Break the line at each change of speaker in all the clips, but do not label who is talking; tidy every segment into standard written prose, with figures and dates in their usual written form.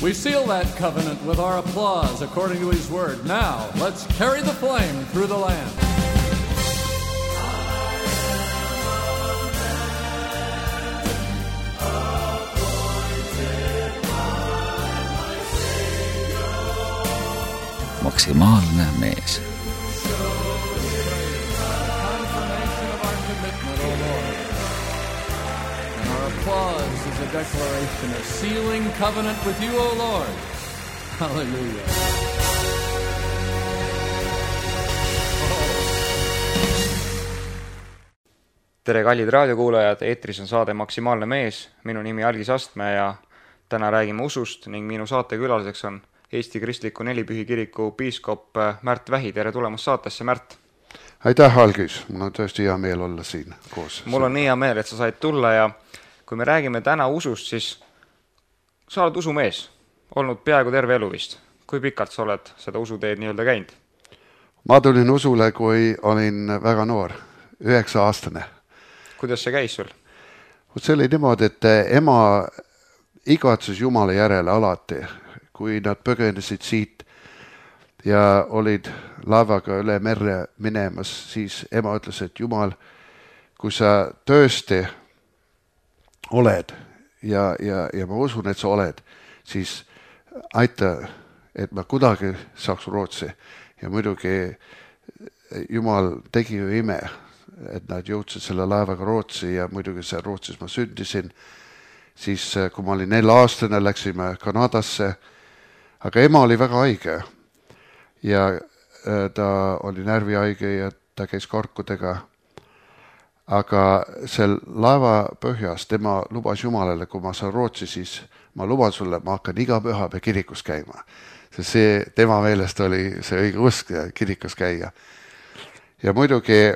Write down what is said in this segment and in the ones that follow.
We seal that covenant with our applause according to his word. Now, let's carry the flame through the land.
Maksimaalne mees.
Applause is a declaration of sealing covenant with you, O Lord. Hallelujah.
Tere, kallid raadiokuulajad, eetris on saade Maksimaalne mees. Minu nimi Algis Astme ja täna räägime usust ning minu saatekülaliseks on Eesti Kristliku Nelipühi Kiriku piiskop Märt Vähi. Tere tulemast saatesse, Märt!
Aitäh, Algis! Mul on tõesti hea meel olla siin koos.
Mul on nii hea meel, et sa said tulla ja kui me räägime täna usust, siis sa oled usumees, olnud peaaegu terve elu vist. Kui pikalt sa oled seda usuteed nii-öelda käinud?
Ma tulin usule, kui olin väga noor, 9-aastane.
Kuidas see käis sul?
See oli niimoodi, et ema igatses Jumala järele alati, kui nad põgenesid siit ja olid laevaga üle merre minemas, siis ema ütles, et Jumal, kui sa tõesti oled ja ma usun, et sa oled, siis aita, et ma kuidagi saaks Rootsi. Ja muidugi Jumal tegi ju ime, et nad jõudsid selle laevaga Rootsi ja muidugi seal Rootsis ma sündisin. Siis kui ma olin 4-aastane, läksime Kanadasse, aga ema oli väga haige ja ta oli närvihaige ja ta käis karkudega. Aga sel laeva põhjas tema lubas Jumalale, kui ma saan Rootsi, siis ma luban sulle, ma hakkan iga pühapäev kirikus käima. See tema meelest oli see õige usk kirikus käia. Ja muidugi,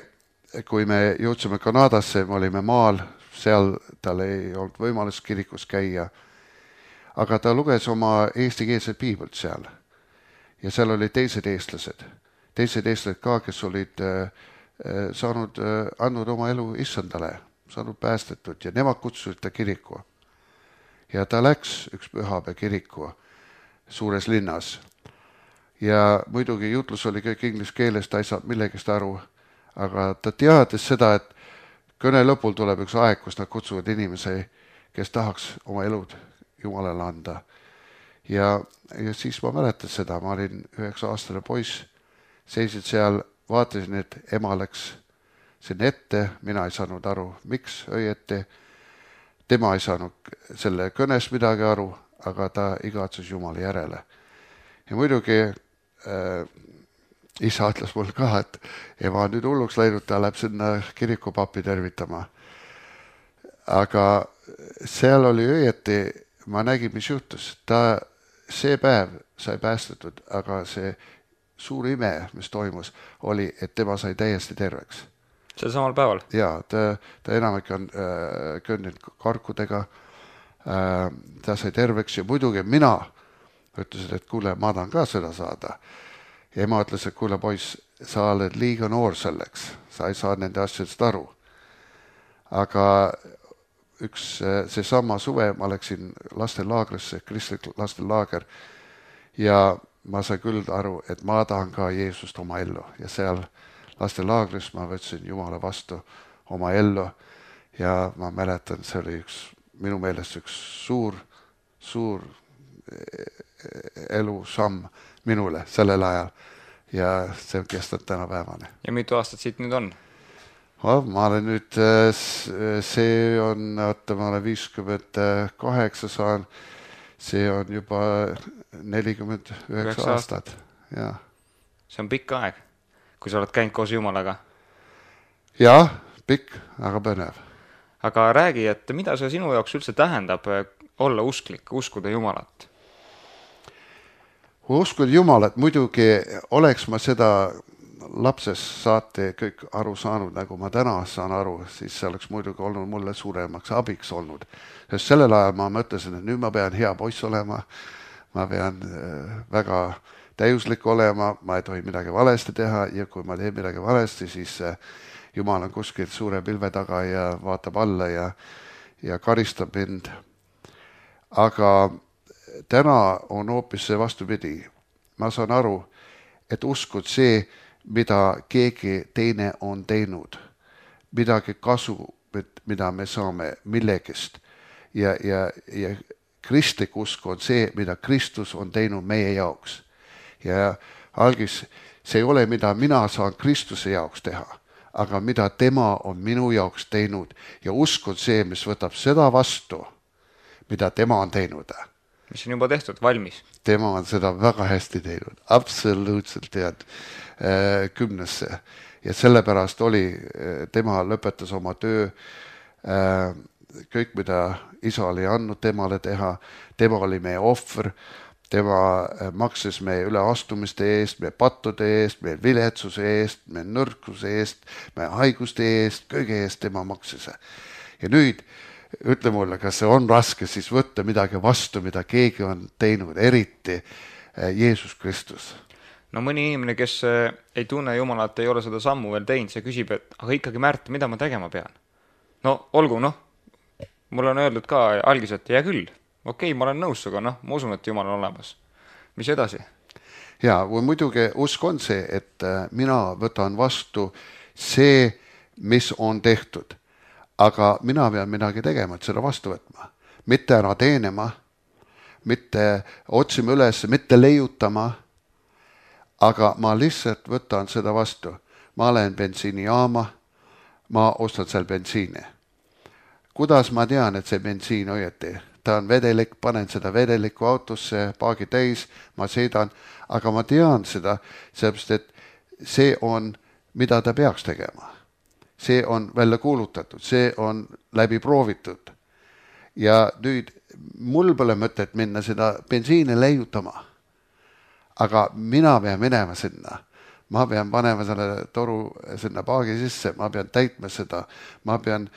kui me jõudsime Kanadasse, me olime maal, seal tal ei olnud võimalus kirikus käia. Aga ta luges oma eestikeelset piiblit seal. Ja seal olid teised eestlased ka, kes olid andnud oma elu issandale, saanud päästetud ja nemad kutsusid ta kiriku. Ja ta läks üks pühapäev kiriku suures linnas. Ja muidugi jutlus oli kõik inglise keeles, ta ei saanud millegist aru, aga ta teadis seda, et kõne lõpul tuleb üks aeg, kus nad kutsuvad inimesi, kes tahaks oma elud Jumalale anda. Ja siis ma mäletan seda, ma olin 9-aastane poiss, seisid seal, vaatasin, et ema läks sinna ette, mina ei saanud aru, miks õieti. Tema ei saanud selle kõnes midagi aru, aga ta igatses Jumala järele. Ja muidugi isa ütles mul ka, et ema on nüüd hulluks läinud, ta läheb sinna kirikupapi tervitama. Aga seal oli õieti, ma nägin, mis juhtus. Ta see päev sai päästetud, aga see suur ime, mis toimus, oli, et tema sai täiesti terveks.
See samal päeval?
Jaa, ta enamik on kõndinud karkudega, ta sai terveks ja muidugi mina ütlesin, et kuule, ma tahan ka seda saada. Ja ema ütles, et kuule poiss, sa oled liiga noor selleks, sa ei saa nende asjadest aru. Aga see sama suve ma läksin lastenlaagrisse, kristlik lastenlaager ja ma sain küll aru, et ma tahan ka Jeesust oma ellu ja seal lastenlaagris ma võtsin Jumala vastu oma ellu ja ma mäletan, see oli minu meelest üks suur elu samm minule sellel ajal ja see on kestnud tänapäevane.
Ja mitu aastat siit nüüd on?
Ma olen nüüd, see on, ma olen 58 saan, see on juba 49 aastat. Ja.
See on pikk aeg, kui sa oled käinud koos Jumalaga.
Jah, pikk, aga põnev.
Aga räägi, et mida see sinu jaoks üldse tähendab olla usklik, uskuda Jumalat?
Uskuda Jumalat, muidugi oleks ma seda lapsest saate kõik aru saanud, nagu ma täna saan aru, siis see oleks muidugi olnud mulle suuremaks abiks olnud. Sest sellel ajal ma mõtlesin, et nüüd ma pean hea poiss olema, ma pean väga täiuslik olema, ma ei tohi midagi valesti teha ja kui ma teen midagi valesti, siis Jumal on kuskil suure pilve taga ja vaatab alla ja karistab mind. Aga täna on hoopis see vastupidi. Ma saan aru, et uskud see, mida keegi teine on teinud, midagi kasu, mida me saame millegist. Ja kristlik usk on see, mida Kristus on teinud meie jaoks. Ja algis, see ei ole, mida mina saan Kristuse jaoks teha, aga mida tema on minu jaoks teinud. Ja usk on see, mis võtab seda vastu, mida tema on teinud.
Mis on juba tehtud, valmis.
Tema on seda väga hästi teinud, absoluutselt tead 10. Ja sellepärast oli, tema lõpetas oma töö, kõik mida isa oli andnud temale teha, tema oli meie ohver, tema maksis meie üleastumiste eest, meie pattude eest, meie viletsuse eest, meie nõrkuse eest, meie haiguste eest, kõige eest tema maksis. Ja nüüd ütle mulle, kas see on raske siis võtta midagi vastu, mida keegi on teinud, eriti Jeesus Kristus.
No mõni inimene, kes ei tunne Jumalat, ei ole seda sammu veel teinud, see küsib, et aga ikkagi Märt, mida ma tegema pean? No olgu, mul on öeldud ka algis, et hea küll, okei, ma olen nõus suga, ma usun, et Jumal on olemas. Mis edasi?
Ja, või muidugi usk on see, et mina võtan vastu see, mis on tehtud. Aga mina pean midagi tegema, et seda vastu võtma. Mitte ära teenema, mitte otsima üles, mitte leiutama, aga ma lihtsalt võtan seda vastu. Ma olen bensiinijaama, ma ostan seal bensiini. Kuidas ma tean, et see bensiin õieti? Ta on vedelik, panen seda vedeliku autosse, paagi täis, ma sõidan, aga ma tean seda, sellepärast et see on, mida ta peaks tegema. See on välja kuulutatud, see on läbi proovitud. Ja nüüd mul pole mõtet minna seda bensiini leiutama. Aga mina pean minema sinna. Ma pean panema selle toru sinna paagi sisse, ma pean täitma seda, ma pean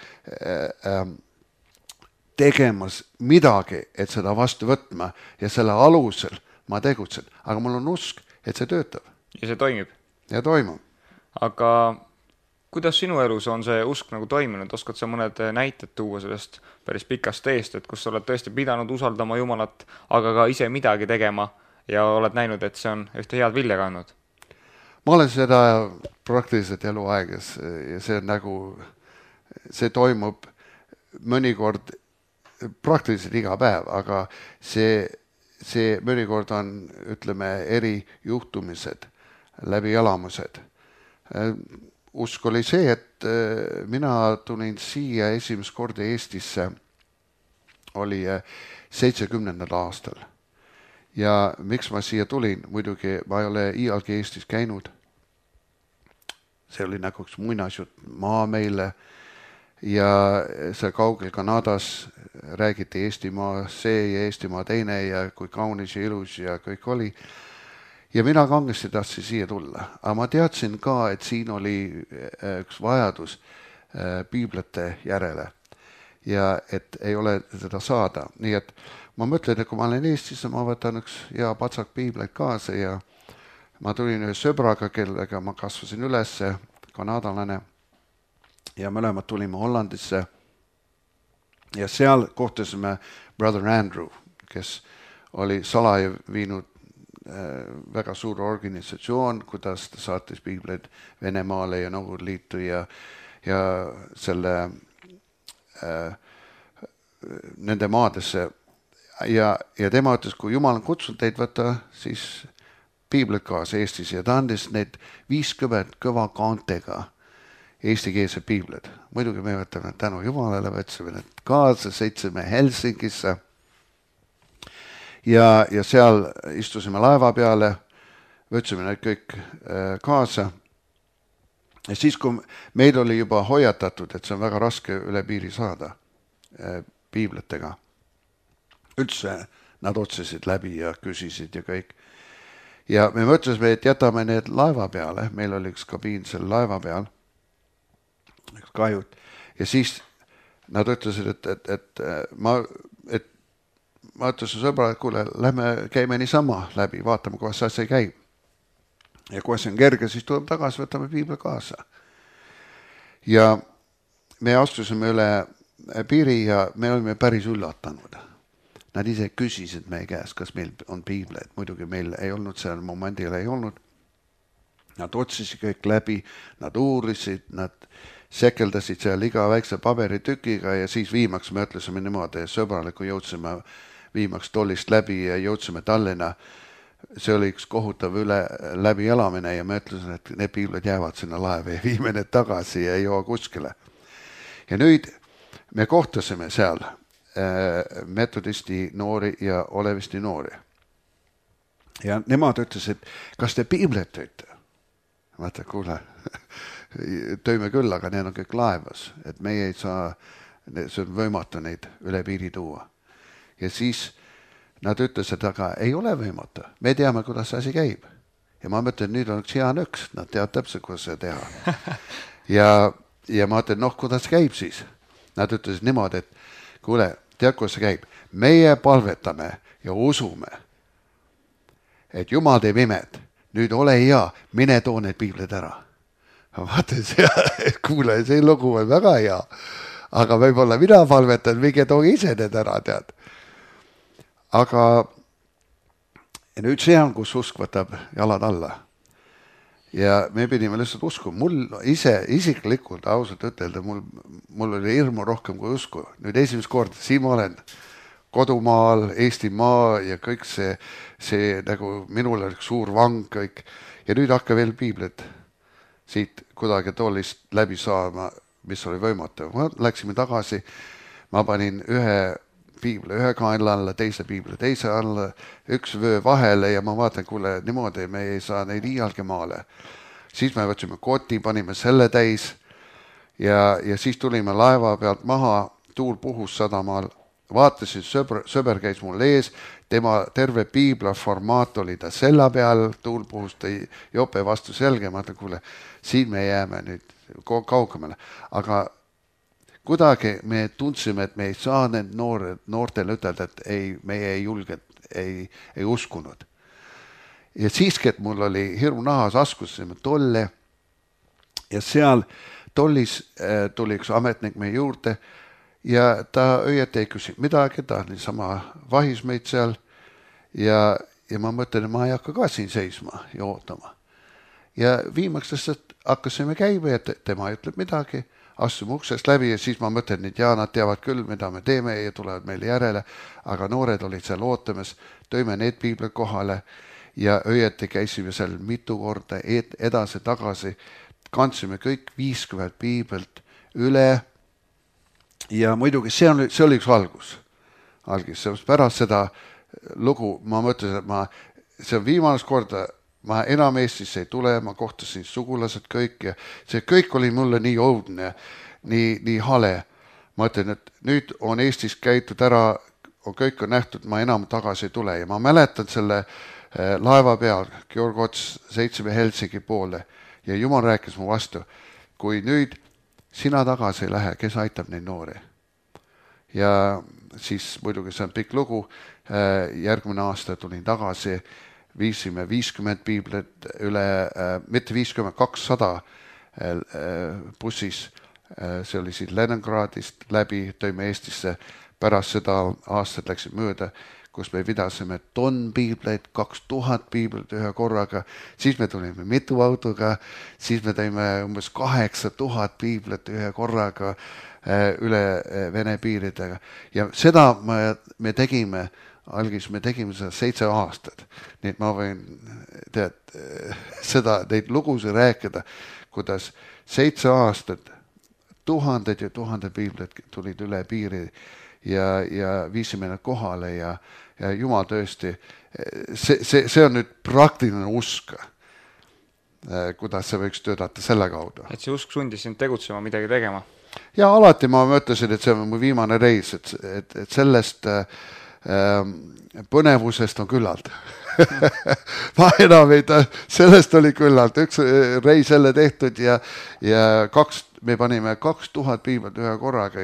tegemas midagi, et seda vastu võtma ja selle alusel ma tegutsen. Aga mul on usk, et see töötab.
Ja see toimib.
Ja toimub.
Aga kuidas sinu elus on see usk nagu toiminud? Oskad sa mõned näited tuua sellest päris pikast teest, et kus sa oled tõesti pidanud usaldama Jumalat, aga ka ise midagi tegema ja oled näinud, et see on ühte head vilja kandnud?
Ma olen seda praktiliselt eluaegas ja see on nagu, see toimub mõnikord praktiliselt iga päev, aga see mõnikord on, ütleme, eri juhtumised, läbi elamused. Usk oli see, et mina tulin siia esimest korda Eestisse, oli 70. aastal. Ja miks ma siia tulin? Muidugi ma ei ole iialgi Eestis käinud. See oli nagu üks muinasjutt maa meile ja see kaugel Kanadas räägiti Eestimaa see ja Eestimaa teine ja kui kaunis ja ilus ja kõik oli. Ja mina kangesti tahtsin siia tulla, aga ma teadsin ka, et siin oli üks vajadus piiblite järele ja et ei ole seda saada. Nii et ma mõtlen, et kui ma olen Eestis, ma võtan üks hea patsak piibleid kaasa ja ma tulin ühe sõbraga, kellega ma kasvasin üles, kanadalane, ja mõlemad tulime Hollandisse ja seal kohtasime Brother Andrew, kes oli salaja viinud väga suur organisatsioon, kuidas ta saatis piibleid Venemaale ja Nõukogude Liitu ja selle nende maadesse ja tema ütles, kui Jumal on kutsunud teid võtta, siis piibleid kaasa Eestis ja ta andis need 50 kõva kaantega eestikeelsed piibled. Muidugi me võtame tänu Jumalale, võtsime need kaasa, sõitsime Helsingisse ja seal istusime laeva peale, võtsime need kõik kaasa. Ja siis, kui meil oli juba hoiatatud, et see on väga raske üle piiri saada piibletega, üldse nad otsisid läbi ja küsisid ja kõik. Ja me mõtlesime, et jätame need laeva peale, meil oli üks kabiin selle laeva peal, üks kajut, ja siis nad ütlesid, et ma ütlesin sõbra, et kuule, lähme käime niisama läbi, vaatame, kuidas see asja käib. Ja kui see on kerge, siis tuleme tagasi, võtame piibli kaasa. Ja me astusime üle piiri ja me olime päris üllatanud. Nad ise küsisid meie käest, kas meil on piibleid. Muidugi meil ei olnud, seal momendil ei olnud. Nad otsisid kõik läbi, nad uurisid, nad sekeldasid seal iga väikse paberitükiga ja siis viimaks me ütlesime niimoodi, sõbraliku jõudsime viimaks tollist läbi ja jõudsime Tallinna. See oli üks kohutav läbi elamine ja me ütlesime, et need piiblid jäävad sinna laeva ja viime need tagasi ja ei joo kuskile. Ja nüüd me kohtasime seal metodisti noori ja olevisti noori. Ja nemad ütlesid, kas te piiblet tõite? Vaata, kuule, tõime küll, aga need on kõik laevas, et meie ei saa, see on võimatu neid üle piiri tuua. Ja siis nad ütlesid, aga ei ole võimatu, me teame, kuidas see asi käib. Ja ma mõtlen, nüüd on üks hea nõks, nad teavad täpselt, kuidas see teha. Ja ma mõtlen, kuidas käib siis? Nad ütlesid niimoodi, et kuule, tead, kuidas see käib? Meie palvetame ja usume, et Jumal teeb imed. Nüüd ole hea, mine too need piiblid ära. Vaata, kuule, see lugu on väga hea. Aga võib-olla mina palvetan, minge tooge ise need ära, tead. Aga nüüd see on, kus usk võtab jalad alla. Ja me pidime lihtsalt usku. Mul ise isiklikult ausalt ütelda, mul oli hirmu rohkem kui usku. Nüüd esimest korda, siin ma olen kodumaal, Eestimaa ja kõik see nagu minul oli suur vang kõik. Ja nüüd hakka veel piiblit siit kuidagi tollist läbi saama, mis oli võimatu. Ma läksime tagasi, ma panin ühe piibli ühe kaenla alla, teise piibli teise alla, üks vöö vahele ja ma vaatan, kuule, niimoodi me ei saa neid iialgi maale. Siis me võtsime koti, panime selle täis ja siis tulime laeva pealt maha, tuul puhus sadamaal. Vaatasin, sõber käis mul ees, tema terve piibla formaat oli ta sella peal, tuul puhus tõi jope vastu selge, ma mõtlen, kuule, siin me jääme nüüd kaugemale. Aga kuidagi me tundsime, et me ei saa need noortele ütelda, et ei, meie ei julgenud, ei uskunud. Ja siiski, et mul oli hirmu nahas, askusime tolle ja seal tollis tuli üks ametnik meie juurde ja ta õieti ei küsi midagi, ta niisama vahis meid seal ja ma mõtlen, et ma ei hakka ka siin seisma ja ootama. Ja viimaks lihtsalt hakkasime käima ja tema ei ütleb midagi, astume uksest läbi ja siis ma mõtlen, et nad teavad küll, mida me teeme ja tulevad meile järele, aga noored olid seal ootamas, tõime need piiblid kohale ja õieti käisime seal mitu korda edasi-tagasi, kandsime kõik 50 piiblit üle. Ja muidugi see oli üks algus. Pärast seda lugu ma mõtlesin, et see on viimast korda, ma enam Eestisse ei tule, ma kohtasin sugulased kõik ja see kõik oli mulle nii õudne, nii hale. Ma ütlen, et nüüd on Eestis käitud ära, kõik on nähtud, ma enam tagasi ei tule ja ma mäletan selle laeva peal, Georg Ots, sõitsime Helsingi poole ja Jumal rääkis mu vastu, kui nüüd sina tagasi ei lähe, kes aitab neid noori. Ja siis muidugi see on pikk lugu, järgmine aasta tulin tagasi, viisime 50 piiblit üle, mitte 50, 200 bussis, see oli siit Leningradist läbi, tõime Eestisse, pärast seda aastat läksid mööda, kus me pidasime piibleid, 2000 piiblit ühe korraga, siis me tulime mitu autoga, siis me tõime umbes 8000 piiblit ühe korraga üle Vene piiridega. Ja seda me tegime, algis me tegime seda 7 aastat. Nii et ma võin neid lugusid rääkida, kuidas 7 aastat, tuhanded ja tuhanded piiblit tulid üle piiri ja viisime nad kohale ja Jumal tõesti, see on nüüd praktiline usk, kuidas see võiks töötada selle kaudu.
Et see usk sundis sind tegutsema, midagi tegema?
Ja alati ma mõtlesin, et see on mu viimane reis, et sellest põnevusest on küllalt. Ma enam ei ta, sellest oli küllalt, üks reis jälle tehtud ja me panime 2000 piiblit ühe korraga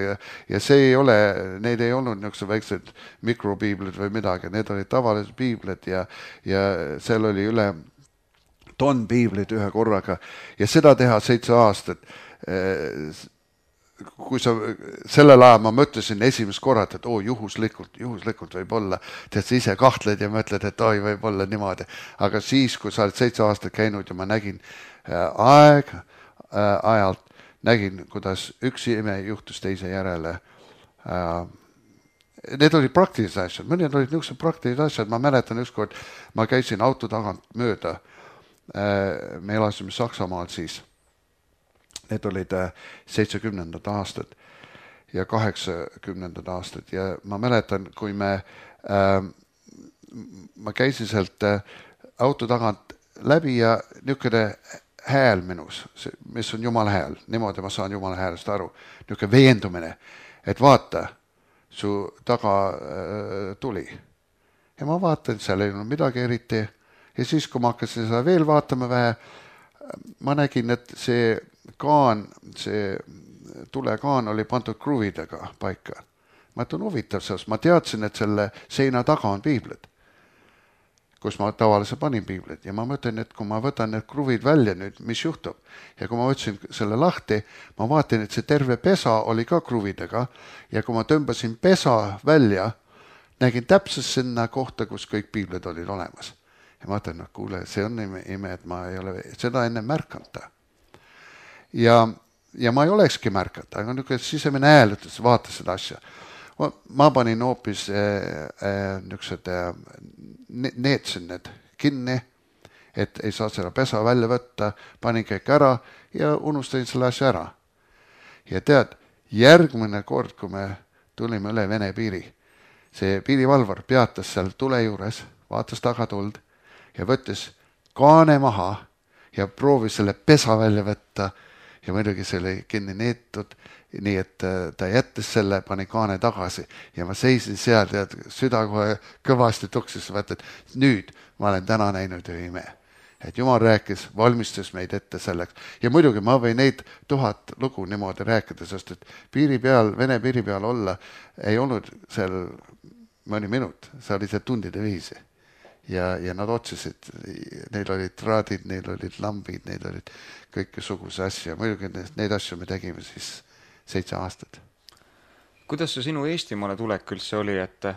ja see ei ole, need ei olnud niisugused väiksed mikropiiblid või midagi, need olid tavalised piiblid ja seal oli üle 1000 piiblit ühe korraga ja seda teha 7 aastat. kui sa sellel ajal ma mõtlesin esimest korrat, et juhuslikult võib olla, tead sa ise kahtled ja mõtled, et oi, võib olla niimoodi. Aga siis, kui sa oled 7 aastat käinud ja ma nägin ajalt, nägin, kuidas üks ime juhtus teise järele. Need olid praktilised asjad, mõned olid niisugused praktilised asjad, ma mäletan ükskord, ma käisin auto tagant mööda, me elasime Saksamaal siis, need olid 70. aastad ja 80. aastad ja ma mäletan, kui ma käisin sealt auto tagant läbi ja niisugune hääl minus, mis on Jumala hääl, niimoodi ma saan Jumala häälest aru, niisugune veendumine, et vaata, su taga tuli. Ja ma vaatan, seal ei olnud midagi eriti ja siis, kui ma hakkasin seda veel vaatama vähe, ma nägin, et see kaan, see tulekaan oli pandud kruvidega paika. Ma ütlen huvitav sellest, ma teadsin, et selle seina taga on piiblid, kus ma tavaliselt panin piiblid ja ma mõtlen, et kui ma võtan need kruvid välja nüüd, mis juhtub. Ja kui ma võtsin selle lahti, ma vaatan, et see terve pesa oli ka kruvidega ja kui ma tõmbasin pesa välja, nägin täpselt sinna kohta, kus kõik piiblid olid olemas. Ja ma mõtlen, no kuule, see on ime, et ma ei ole seda enne märkanta. Ja ma ei olekski märkata, aga niisugune sisemine hääl ütles, vaata seda asja. Ma panin hoopis niisugused neetsin need kinni, et ei saa seda pesa välja võtta, panin kõik ära ja unustasin selle asja ära. Ja tead, järgmine kord, kui me tulime üle Vene piiri, see piirivalvar peatas seal tule juures, vaatas tagatuld ja võttis kaane maha ja proovis selle pesa välja võtta ja muidugi see oli kinni neetud, nii et ta jättis selle, pani kaane tagasi ja ma seisin seal, tead, süda kohe kõvasti tuksis, mõtled, nüüd ma olen täna näinud ühe ime. Et Jumal rääkis, valmistas meid ette selleks. Ja muidugi ma võin neid 1000 lugu niimoodi rääkida, sest et piiri peal, Vene piiri peal olla ei olnud seal mõni minut, see oli see tundide viisi. Ja nad otsisid, neil olid traadid, neil olid lambid, neil olid kõikesuguse asja. Muidugi neid asju me tegime siis 7 aastat.
Kuidas see sinu Eestimaale tulek üldse oli, et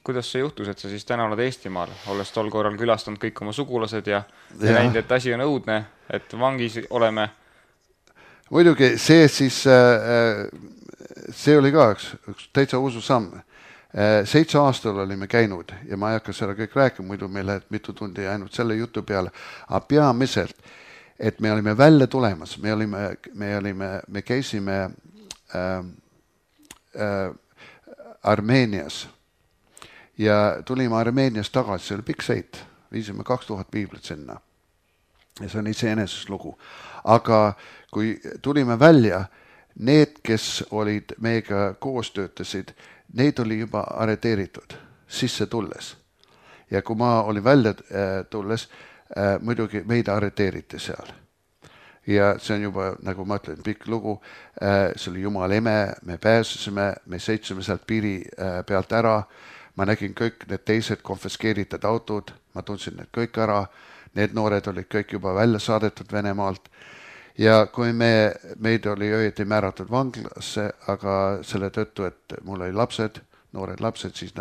kuidas see juhtus, et sa siis täna oled Eestimaal, olles tol korral külastanud kõik oma sugulased ja näinud, et asi on õudne, et vangis oleme?
Muidugi see siis, see oli ka üks täitsa usu samm. 7 aastal olime käinud ja ma ei hakka seda kõik rääkima, muidu meil läheb mitu tundi ainult selle jutu peale, aga peamiselt, et me olime välja tulemas, me käisime Armeenias ja tulime Armeenias tagasi, see oli pikk sõit, viisime 2000 piiblit sinna ja see on iseenesest lugu. Aga kui tulime välja, need, kes olid meiega koos töötasid, neid oli juba arreteeritud sisse tulles. Ja kui ma olin välja tulles, muidugi meid arreteeriti seal. Ja see on juba, nagu ma ütlen, pikk lugu, see oli Jumal ime, me pääsesime, me sõitsime sealt piiri pealt ära, ma nägin kõik need teised konfiskeeritud autod, ma tundsin need kõik ära, need noored olid kõik juba välja saadetud Venemaalt. Ja kui meid oli õieti määratud vanglasse, aga selle tõttu, et mul oli lapsed, noored lapsed, siis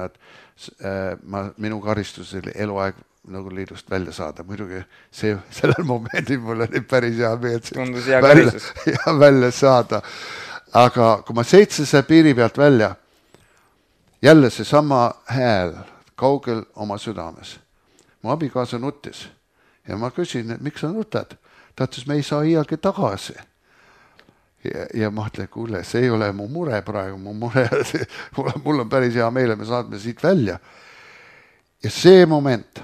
minu karistus oli eluaeg nagu liidust välja saada. Muidugi sellel momendil mul oli päris hea meelt
tundus hea karistus
välja saada. Aga kui ma sõitsin selle piiri pealt välja, jälle see sama hääl kaugel oma südames. Mu abikaasa nuttis ja ma küsin, et miks sa nutad? Ta ütles, me ei saa iialgi tagasi. Ja ma ütlen, kuule, see ei ole mu mure praegu, mul on päris hea meele, me saadme siit välja. Ja see moment,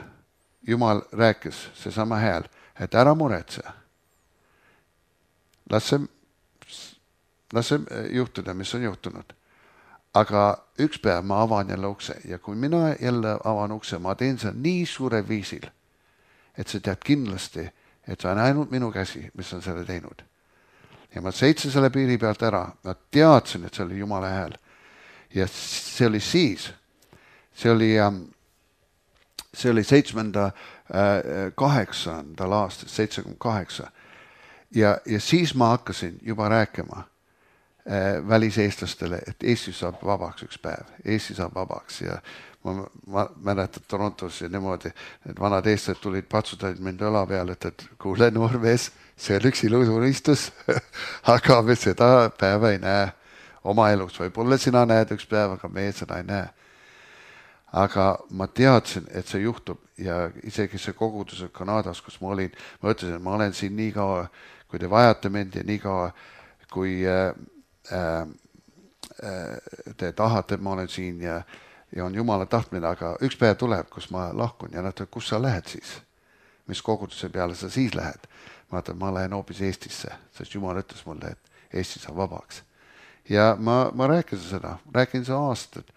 Jumal rääkis, see sama hääl, et ära muretse. Las see juhtuda, mis on juhtunud. Aga üks päev ma avan jälle ukse ja kui mina jälle avan ukse, ma teen seda nii suure viisil, et sa tead kindlasti, et see on ainult minu käsi, mis on selle teinud. Ja ma sõitsin selle piiri pealt ära, ma teadsin, et see oli Jumala hääl. Ja see oli siis, see oli 8. aastal, 78. Ja siis ma hakkasin juba rääkima väliseestlastele, et Eesti saab vabaks üks päev, Eesti saab vabaks ja ma mäletan Torontos ja niimoodi, need vanad eestlased tulid, patsutasid mind õla peale, et kuule noor mees, see on üks ilus unistus, aga me seda päeva ei näe oma elus, võib-olla sina näed üks päev, aga meie seda ei näe. Aga ma teadsin, et see juhtub ja isegi see kogudus Kanadas, kus ma olin, ma ütlesin, et ma olen siin nii kaua, kui te vajate mind ja nii kaua, kui te tahate, et ma olen siin ja on Jumala tahtmine, aga üks päev tuleb, kus ma lahkun ja nad ütlevad, kus sa lähed siis? Mis koguduse peale sa siis lähed? Ma ütlen, ma lähen hoopis Eestisse, sest Jumal ütles mulle, et Eesti saab vabaks. Ja ma rääkisin seda aastat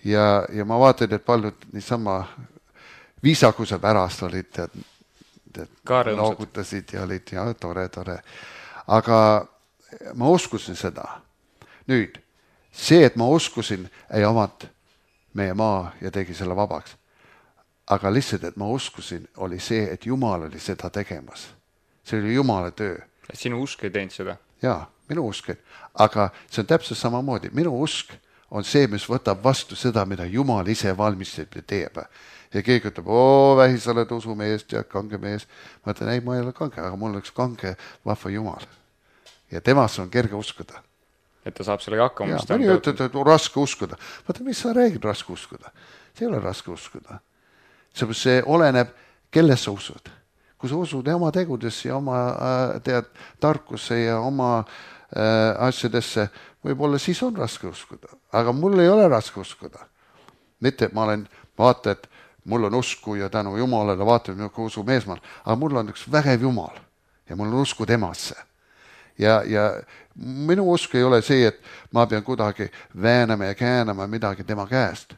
ja ma vaatan, et paljud niisama viisakuse pärast olid, noogutasid ja olid ja tore. Aga ma uskusin seda. Nüüd, see, et ma uskusin, ei avanud meie maa ja tegi selle vabaks. Aga lihtsalt, et ma uskusin, oli see, et Jumal oli seda tegemas. See oli Jumala töö.
Sinu usk ei teinud seda?
Jaa, minu usk. Aga see on täpselt samamoodi. Minu usk on see, mis võtab vastu seda, mida Jumal ise valmistab ja teeb. Ja keegi ütleb, vähi, sa oled usumeest ja kange mees. Ma ütlen, ei, ma ei ole kange, aga mul oleks kange vahva Jumal. Ja temasse on kerge uskuda.
Et ta saab sellega hakkama.
Ja, mõni ütleb, et on raske uskuda. Vaata, mis sa räägid raske uskuda? See ei ole raske uskuda. See oleneb, kelle sa usud. Kui sa usud oma tegudesse ja oma tarkusse ja oma asjadesse, võib-olla siis on raske uskuda. Aga mul ei ole raske uskuda. Mitte, ma olen, vaata, et mul on usku ja tänu Jumalale, vaata, kui usu meesmaal, aga mul on üks vägev Jumal ja mul on usku temasse. Ja minu usk ei ole see, et ma pean kuidagi väänama ja käänama midagi tema käest.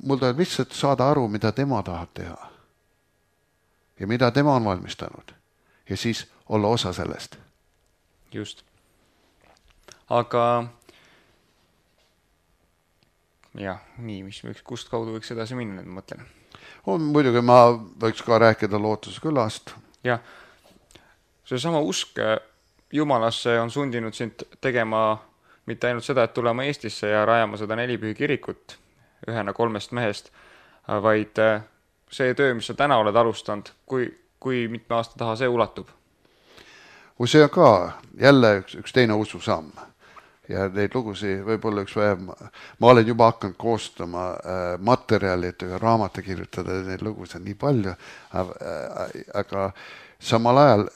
Mul tuleb lihtsalt saada aru, mida tema tahab teha. Ja mida tema on valmistanud. Ja siis olla osa sellest.
Just. Aga jah, nii, kust kaudu võiks edasi minna, ma mõtlen.
Muidugi ma võiks ka rääkida Lootuskülast.
Jah. See sama usk Jumalasse on sundinud sind tegema mitte ainult seda, et tulema Eestisse ja rajama seda 4 pühi kirikut ühena 3 mehest, vaid see töö, mis sa täna oled alustanud, kui mitme aasta taha see ulatub?
See on ka jälle üks teine ususamm ja neid lugusid võib-olla üks vähem. Ma olen juba hakanud koostama materjalid ja raamata kirjutada, neid lugusid on nii palju, aga samal ajal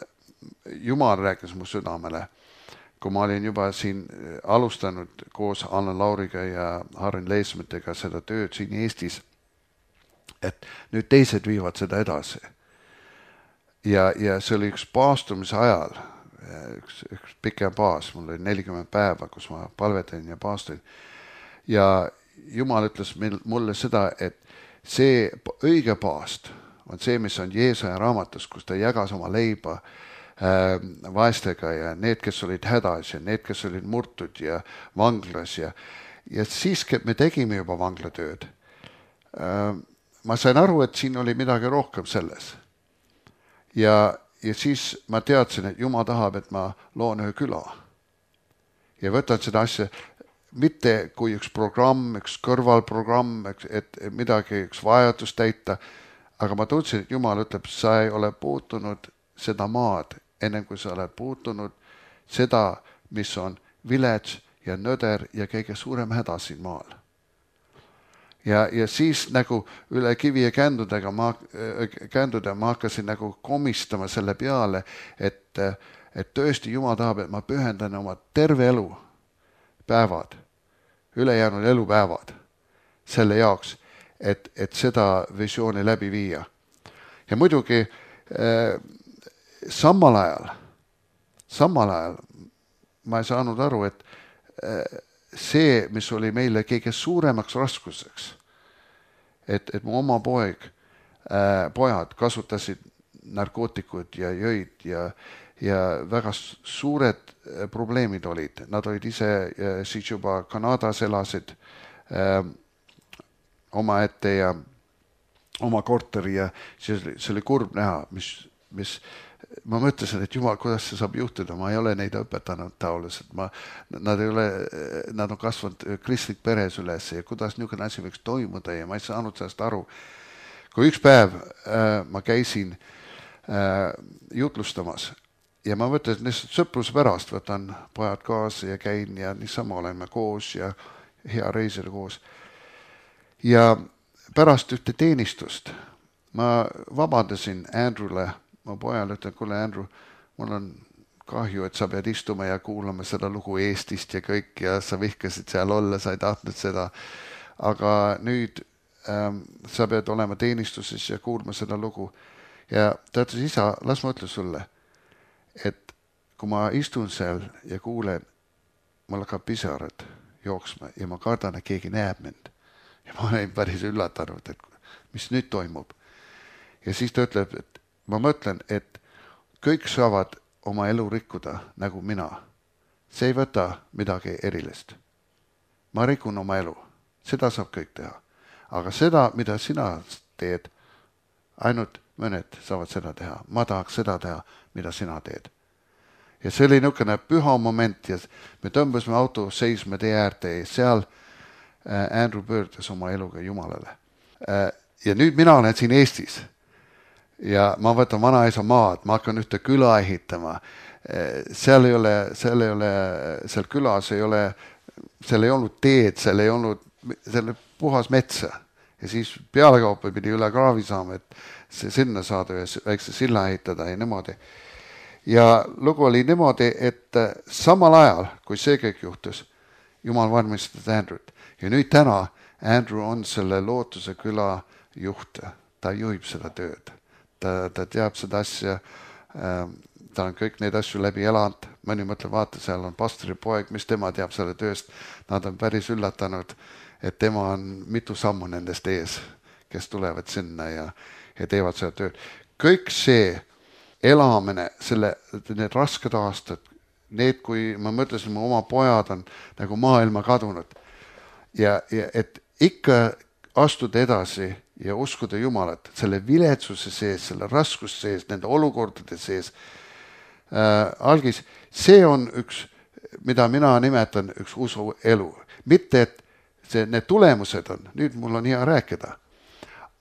Jumal rääkis mu südamele, kui ma olin juba siin alustanud koos Anna Lauriga ja Harren Leismetega seda tööd siin Eestis, et nüüd teised viivad seda edasi. Ja see oli üks paastumise ajal, üks pikem paas, mul oli 40 päeva, kus ma palvetan ja paastuin. Ja Jumal ütles mulle seda, et see õige paast on see, mis on Jeesaja raamatus, kus ta jagas oma leiba vaestega ja need, kes olid hädas ja need, kes olid murtud ja vanglas ja siis me tegime juba vanglatööd. Ma sain aru, et siin oli midagi rohkem selles. Ja siis ma teadsin, et Jumal tahab, et ma loon ühe küla. Ja võtan seda asja mitte kui üks programm, üks kõrvalprogramm, et midagi, üks vajadus täita, aga ma tundsin, et Jumal ütleb, sa ei ole puutunud seda maad, enne kui sa oled puutunud seda, mis on vilets ja nõder ja kõige suurem häda siin maal. Ja siis nagu üle kivi ja känduda ma hakkasin nagu komistama selle peale, et tõesti Jumal tahab, et ma pühendan oma terve elu päevad, ülejäänud elupäevad selle jaoks, et seda visiooni läbi viia. Ja muidugi samal ajal ma ei saanud aru, et see, mis oli meile kõige suuremaks raskuseks, et mu oma pojad kasutasid narkootikud ja jõid ja väga suured probleemid olid. Nad olid ise siis juba Kanadas elasid oma ette ja oma korteri ja see oli kurb näha, mis ma mõtlesin, et jumal, kuidas see saab juhtuda, ma ei ole neid õpetanud taoliselt, nad on kasvanud kristlik peres üles ja kuidas niisugune asi võiks toimuda ja ma ei saanud sellest aru. Kui üks päev ma käisin jutlustamas ja ma mõtlesin lihtsalt sõpruse pärast, võtan pojad kaasa ja käin ja niisama oleme koos ja hea reisile koos. Ja pärast ühte teenistust ma vabandasin Andrewle, ma pojale ütlen, kuule Andrew, mul on kahju, et sa pead istuma ja kuulama seda lugu Eestist ja kõik ja sa vihkasid seal olla, sa ei tahtnud seda. Aga nüüd sa pead olema teenistuses ja kuulma seda lugu. Ja ta ütles, isa, las ma ütle sulle, et kui ma istun seal ja kuulen, mul hakkab pisarad jooksma ja ma kardan, et keegi näeb mind. Ja ma olen päris üllatanud, et mis nüüd toimub. Ja siis ta ütleb, et ma mõtlen, et kõik saavad oma elu rikkuda nagu mina. See ei võta midagi erilist. Ma rikun oma elu. Seda saab kõik teha. Aga seda, mida sina teed, ainult mõned saavad seda teha. Ma tahaks seda teha, mida sina teed. Ja see oli niisugune püha moment ja me tõmbasime auto seisma tee äärde ja seal Andrew pöördus oma eluga Jumalale. Ja nüüd mina olen siin Eestis ja ma võtan vanaisa maad, ma hakkan ühte küla ehitama. Seal külas ei ole, seal ei olnud teed, seal ei olnud puhas metsa. Ja siis pealekaupa pidi üle kraavi saama, et see sinna saada ja väikse silla ehitada ja niimoodi. Ja lugu oli niimoodi, et samal ajal, kui see kõik juhtus, Jumal valmistas Andrewt. Ja nüüd täna Andrew on selle Lootuse küla juht. Ta juhib seda tööd. Ta teab seda asja. Ta on kõik neid asju läbi elanud. Mõni mõtleb, vaata, seal on pastori poeg, mis tema teab selle tööst. Nad on päris üllatanud, et tema on mitu sammu nendest ees, kes tulevad sinna ja teevad seda tööd. Kõik see elamine, need rasked aastad, need, kui ma mõtlesin, mu oma pojad on nagu maailma kadunud ja et ikka astuda edasi ja uskuda Jumalat selle viletsuse sees, selle raskuse sees, nende olukordade sees. Algis, see on üks, mida mina nimetan üks usu elu. Mitte, et need tulemused on, nüüd mul on hea rääkida,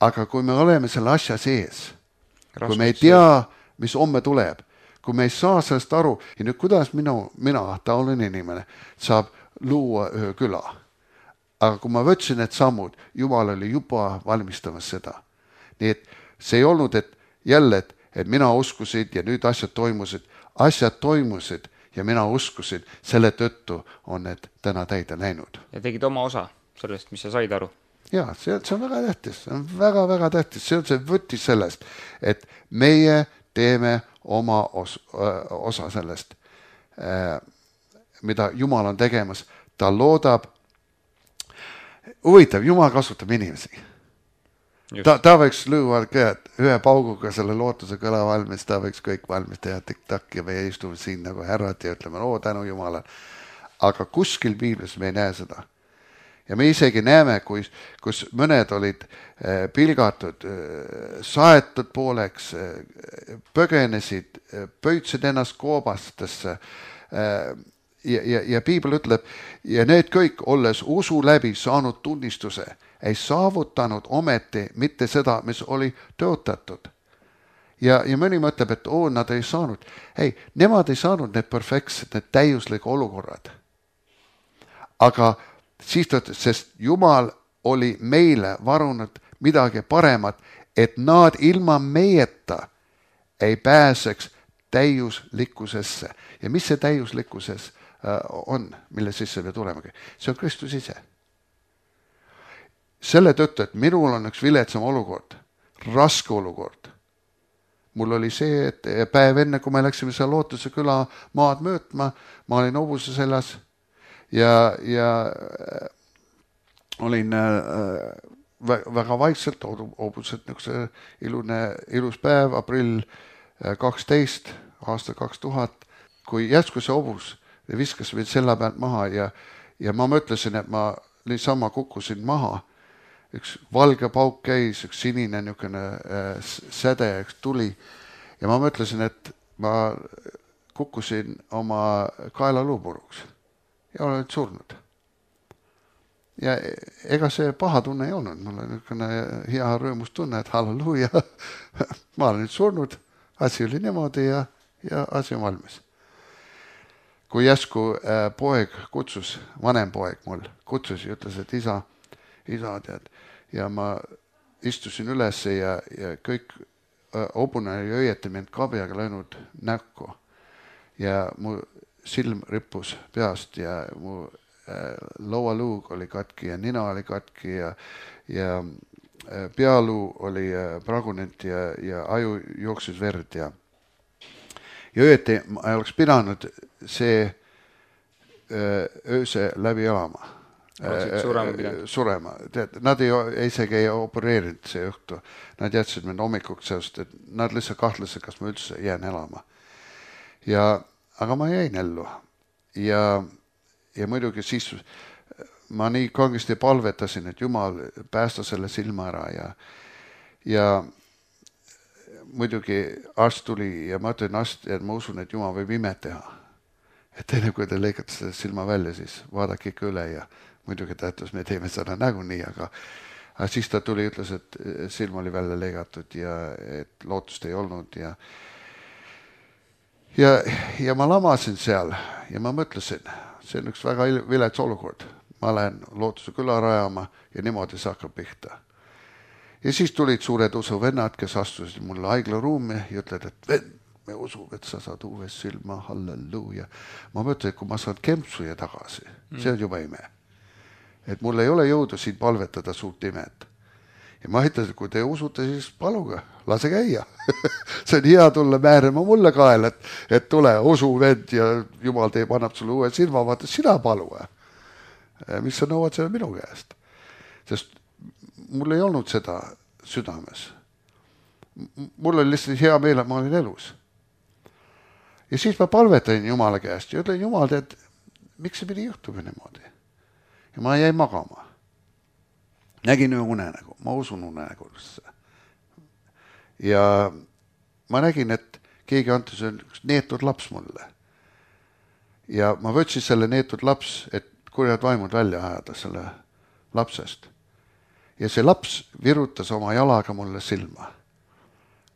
aga kui me oleme selle asja sees, kui me ei tea, mis homme tuleb, kui me ei saa sellest aru, ja nüüd kuidas mina taoline inimene, saab luua ühe küla. Aga kui ma võtsin need sammud, Jumal oli juba valmistamas seda. Nii et see ei olnud, et jälle, et mina uskusid ja nüüd asjad toimusid ja mina uskusin, selle tõttu on need täna täide läinud.
Ja tegid oma osa sellest, mis sa said aru?
Jaa, see on väga tähtis, see on väga tähtis, see on see võttis sellest, et meie teeme oma osa sellest, mida Jumal on tegemas. Ta loodab, huvitav, Jumal kasutab inimesi. Ta võiks lüüa ühe pauguga selle Lootuse kõla valmis, ta võiks kõik valmis teha tik-tak ja meie istume siin nagu härrad ja ütleme, tänu Jumala. Aga kuskil Piiblis me ei näe seda. Ja me isegi näeme, kus mõned olid pilgatud, saetud pooleks, põgenesid, pöitsid ennast koobastesse. Ja Piibel ütleb, ja need kõik, olles usu läbi saanud tunnistuse, ei saavutanud ometi mitte seda, mis oli tõotatud. Ja mõni mõtleb, et nad ei saanud. Ei, nemad ei saanud need perfektsed, need täiuslik olukorrad. Aga siis ta ütles, sest Jumal oli meile varunud midagi paremat, et nad ilma meieta ei pääseks täiuslikkusesse. Ja mis see täiuslikkuses on, mille sisse me tulemegi? See on Kristus ise. Selle tõttu, et minul on üks viletsam olukord, raske olukord. Mul oli see, et päev enne, kui me läksime seal Lootuse küla maad möötma, ma olin hobuse seljas ja olin väga vaikselt, hobused ilus päev, aprill 12, aasta 2000, kui järsku see hobus viskas mind selle pealt maha ja ma mõtlesin, et ma niisama kukkusin maha. Üks valge pauk käis, üks sinine niisugune säde, üks tuli ja ma mõtlesin, et ma kukkusin oma kaelaluu puruks ja olen surnud. Ja ega see paha tunne ei olnud, mul on niisugune hea rõõmus tunne, et halleluuja, ma olen nüüd surnud, asi oli niimoodi ja asi on valmis. Kui jäsku poeg kutsus, vanem poeg mul kutsus ja ütles, et isa tead, ja ma istusin üles ja kõik hobune oli õieti mind kabjaga löönud näkku ja mu silm rippus peast ja mu laualuug oli katki ja nina oli katki ja pealuu oli pragunenud ja aju jooksis verd ja õieti ma oleks pidanud see ööse läbi elama. Surema. Nad isegi ei opereerinud see õhtu. Nad jätsid mind hommikuks seost, et nad lihtsalt kahtlesid, kas ma üldse jään elama. Aga ma jäin ellu. Ja muidugi siis ma nii kangesti palvetasin, et Jumal päästa selle silma ära ja muidugi arst tuli ja ma ütlen arst, et ma usun, et Jumal võib imet teha. Et enne kui te lõikate selle silma välja, siis vaadake ikka üle ja muidugi ta ütles, me teeme seda nagunii, aga siis ta tuli ja ütles, et silm oli välja lõigatud ja et lootust ei olnud ja ma lamasin seal ja ma mõtlesin, see on üks väga vilets olukord. Ma lähen lootuse küla rajama ja niimoodi see hakkab pihta. Ja siis tulid suured usuvennad, kes astusid mulle haiglaruumi ja ütled, et vend, me usume, et sa saad uues silma, halleluuja. Ma mõtlen, et kui ma saan kempsuja tagasi, see on juba ime. Et mul ei ole jõudu siin palvetada suurt imet. Ja ma ütlesin, kui te usute, siis paluge, lase käia. See on hea tulla määrima mulle kael, et tule usu vend ja Jumal teeb, annab sulle uue silma, vaata, sina palu. Mis sa nõuad selle minu käest? Sest mul ei olnud seda südames. Mul oli lihtsalt hea meel, et ma olin elus. Ja siis ma palvetasin Jumala käest ja ütlen, Jumal, tead, miks see pidi juhtuma niimoodi? Ja ma jäin magama. Nägin ühe unenägu, ma usun unenägusse. Ja ma nägin, et keegi antas üks neetud laps mulle. Ja ma võtsin selle neetud laps, et kurjad vaimud välja ajada selle lapsest. Ja see laps virutas oma jalaga mulle silma.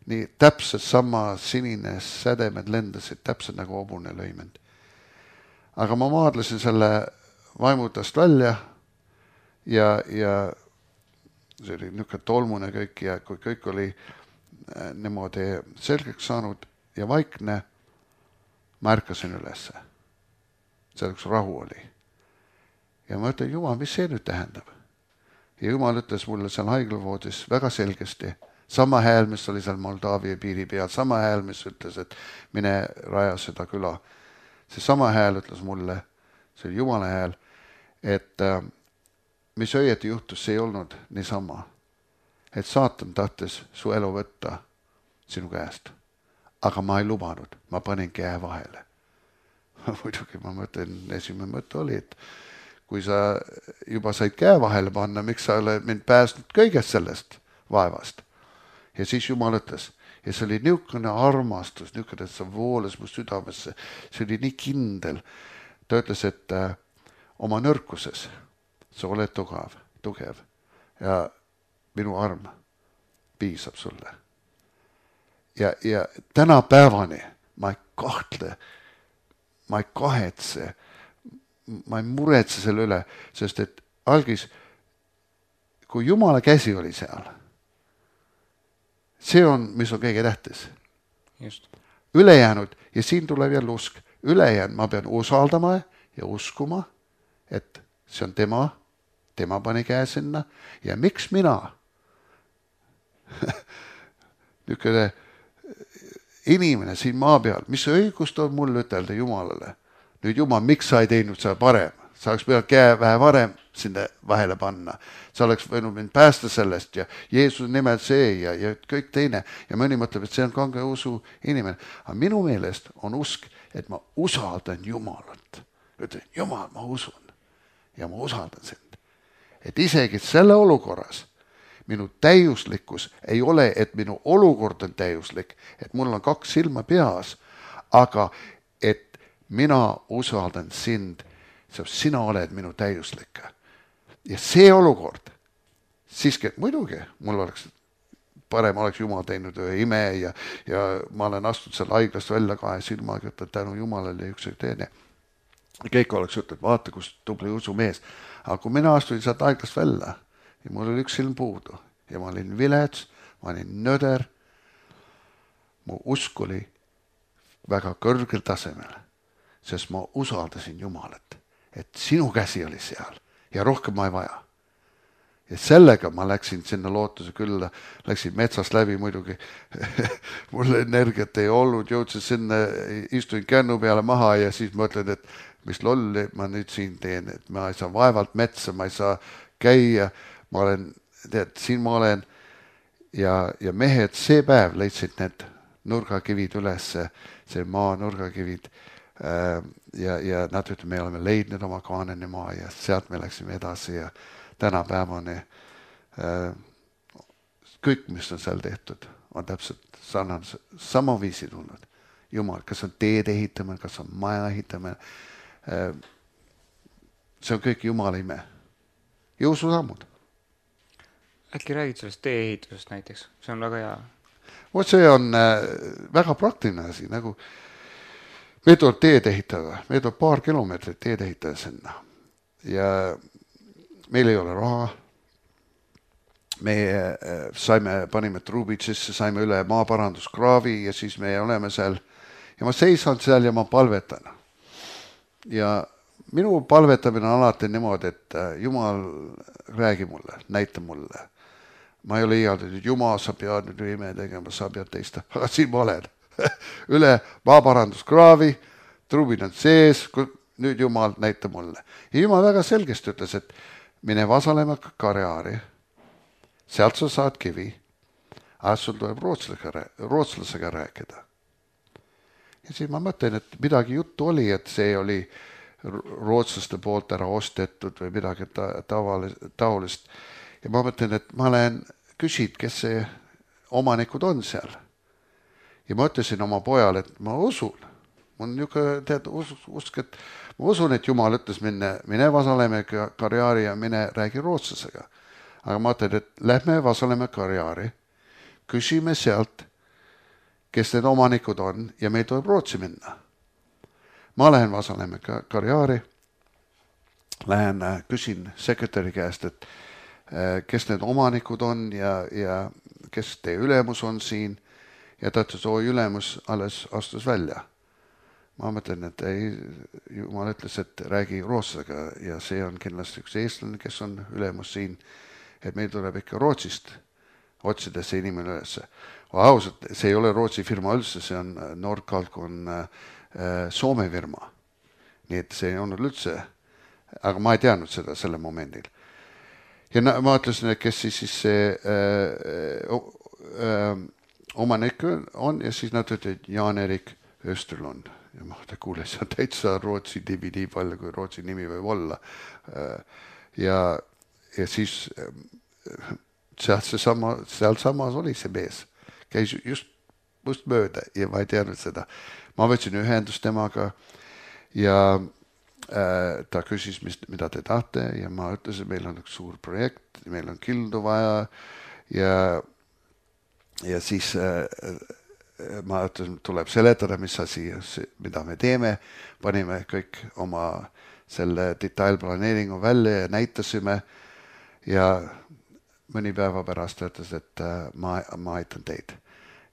Nii täpselt sama sinine sädemed lendasid, täpselt nagu hobune lõimend. Aga ma maadlesin selle vaimutast välja ja see oli niisugune tolmune kõik ja kui kõik oli niimoodi selgeks saanud ja vaikne, ma ärkasin ülesse. Selleks rahu oli. Ja ma ütlen, Jumal, mis see nüüd tähendab? Ja Jumal ütles mulle seal haiglavoodis väga selgesti, sama hääl, mis oli seal Moldaavia piiri peal, sama hääl, mis ütles, et mine raja seda küla. See sama hääl ütles mulle, see oli Jumala hääl, et mis õieti juhtus, see ei olnud niisama. Et saatan tahtis su elu võtta sinu käest. Aga ma ei lubanud, ma panin käe vahele. Muidugi ma mõtlen, esimene mõte oli, et kui sa juba said käe vahele panna, miks sa oled mind päästnud kõigest sellest vaevast. Ja siis Jumal ütles, ja see oli niisugune armastus, niisugune, et sa vooles mu südamesse, see oli nii kindel. Ta ütles, et oma nõrkuses sa oled tugev ja minu arm piisab sulle. Ja tänapäevani ma ei kahtle, ma ei kahetse, ma ei muretse selle üle, sest et algis, kui Jumala käsi oli seal, see on, mis on kõige tähtis.
Just.
Ülejäänud, ja siin tuleb jälle usk, ülejäänud ma pean usaldama ja uskuma, et see on tema pani käe sinna ja miks mina? Niisugune inimene siin maa peal, mis õigust on mul ütelda Jumalale? Nüüd Jumal, miks sa ei teinud seda parem? Sa oleks pidanud käe vähe varem sinna vahele panna. Sa oleks võinud mind päästa sellest ja Jeesuse nimel see ja kõik teine. Ja mõni mõtleb, et see on kange usu inimene. Aga minu meelest on usk, et ma usaldan Jumalat. Ütlen, Jumal, ma usun ja ma usaldan sind. Et isegi selle olukorras, minu täiuslikkus ei ole, et minu olukord on täiuslik, et mul on 2 silma peas, aga et mina usaldan sind, sina oled minu täiuslik. Ja see olukord, siiski, et muidugi, mul oleks parem oleks Jumal teinud ühe ime ja ma olen astunud seal haiglast välja 2 silmaga, et tänu Jumalale üks teine. Kõik oleks ütelnud, vaata, kus tubli usumees. Aga kui mina astuin sealt haiglast välja ja mul oli 1 silm puudu ja ma olin vilets, ma olin nöder, mu usk oli väga kõrgel tasemel, sest ma usaldasin Jumalat, et sinu käsi oli seal ja rohkem ma ei vaja. Ja sellega ma läksin sinna lootuse külla, läksin metsast läbi muidugi, mul energiat ei olnud, jõudsin sinna, istuin kännu peale maha ja siis mõtlen, et mis lolli ma nüüd siin teen, et ma ei saa vaevalt metsa, ma ei saa käia, ma olen, siin ma olen ja mehed see päev leidsid need nurgakivid üles, see maa nurgakivid ja nad ütlevad, me oleme leidnud oma Kaanani maa ja sealt me läksime edasi ja tänapäevani kõik, mis on seal tehtud, on täpselt sama viisi tulnud. Jumal, kas on teed ehitamine, kas on maja ehitamine, see on kõik Jumala ime. Ja ususammud.
Äkki räägid sellest tee-ehitusest näiteks? See on väga hea.
See on väga praktiline asi, nagu me tuleb teed ehitada, me tuleb 2 kilomeetrit teed ehitada sinna ja meil ei ole raha, me panime truubid sisse, saime üle maaparanduskraavi ja siis me oleme seal ja ma seisan seal ja ma palvetan. Ja minu palvetamine on alati niimoodi, et Jumal räägi mulle, näita mulle. Ma ei ole iialdi, et Jumal, sa pead nüüd ime tegema, sa pead teista, aga siin ma olen. Üle maaparanduskraavi, truubid on sees, nüüd Jumal näita mulle. Ja Jumal väga selgesti ütles, et mine Vasalemma Karjaari, sealt sa saad kivi, aga sul tuleb rootslasega rääkida. Ja siis ma mõtlen, et midagi juttu oli, et see oli rootslaste poolt ära ostetud või midagi taolist. Ja ma mõtlen, et ma olen küsid, kes see omanikud on seal. Ja ma ütlesin oma pojale, et ma usun. Mul on niisugune usk, et ma usun, et Jumal ütles mine Vasalemma Karjaari ja mine räägi rootslasega. Aga ma ütlen, et lähme Vasalemma Karjaari, küsime sealt, kes need omanikud on ja meil tuleb Rootsi minna. Ma lähen Vasalemma Karjaari, lähen küsin sekretäri käest, et kes need omanikud on ja kes teie ülemus on siin ja ta ütles, ülemus alles astus välja. Ma mõtlen, et Jumal ütles, et räägi rootslasega ja see on kindlasti üks eestlane, kes on ülemus siin, et meil tuleb ikka Rootsist otsida see inimene üles. Ausalt, see ei ole Rootsi firma üldse, see on Nordkalk on Soome firma. Nii et see ei olnud üldse, aga ma ei teadnud seda selle momendil. Ja ma ütlesin, et kes siis see omanik on ja siis nad ütlesid Jan-Erik Österlund. Ja ma kuulen, see on täitsa Rootsi nimi nii palju, kui Rootsi nimi võib olla. Ja siis seal samas oli see mees. Käis just mööda ja ma ei teadnud seda. Ma võtsin ühendust temaga ja ta küsis, mida te tahte ja ma ütlesin, meil on üks suur projekt, meil on kildu vaja ja siis ma ütlesin, tuleb seletada, mis asi, mida me teeme. Panime kõik oma selle detailplaneeringu välja ja näitasime ja mõni päeva pärast ütles, et ma aitan teid.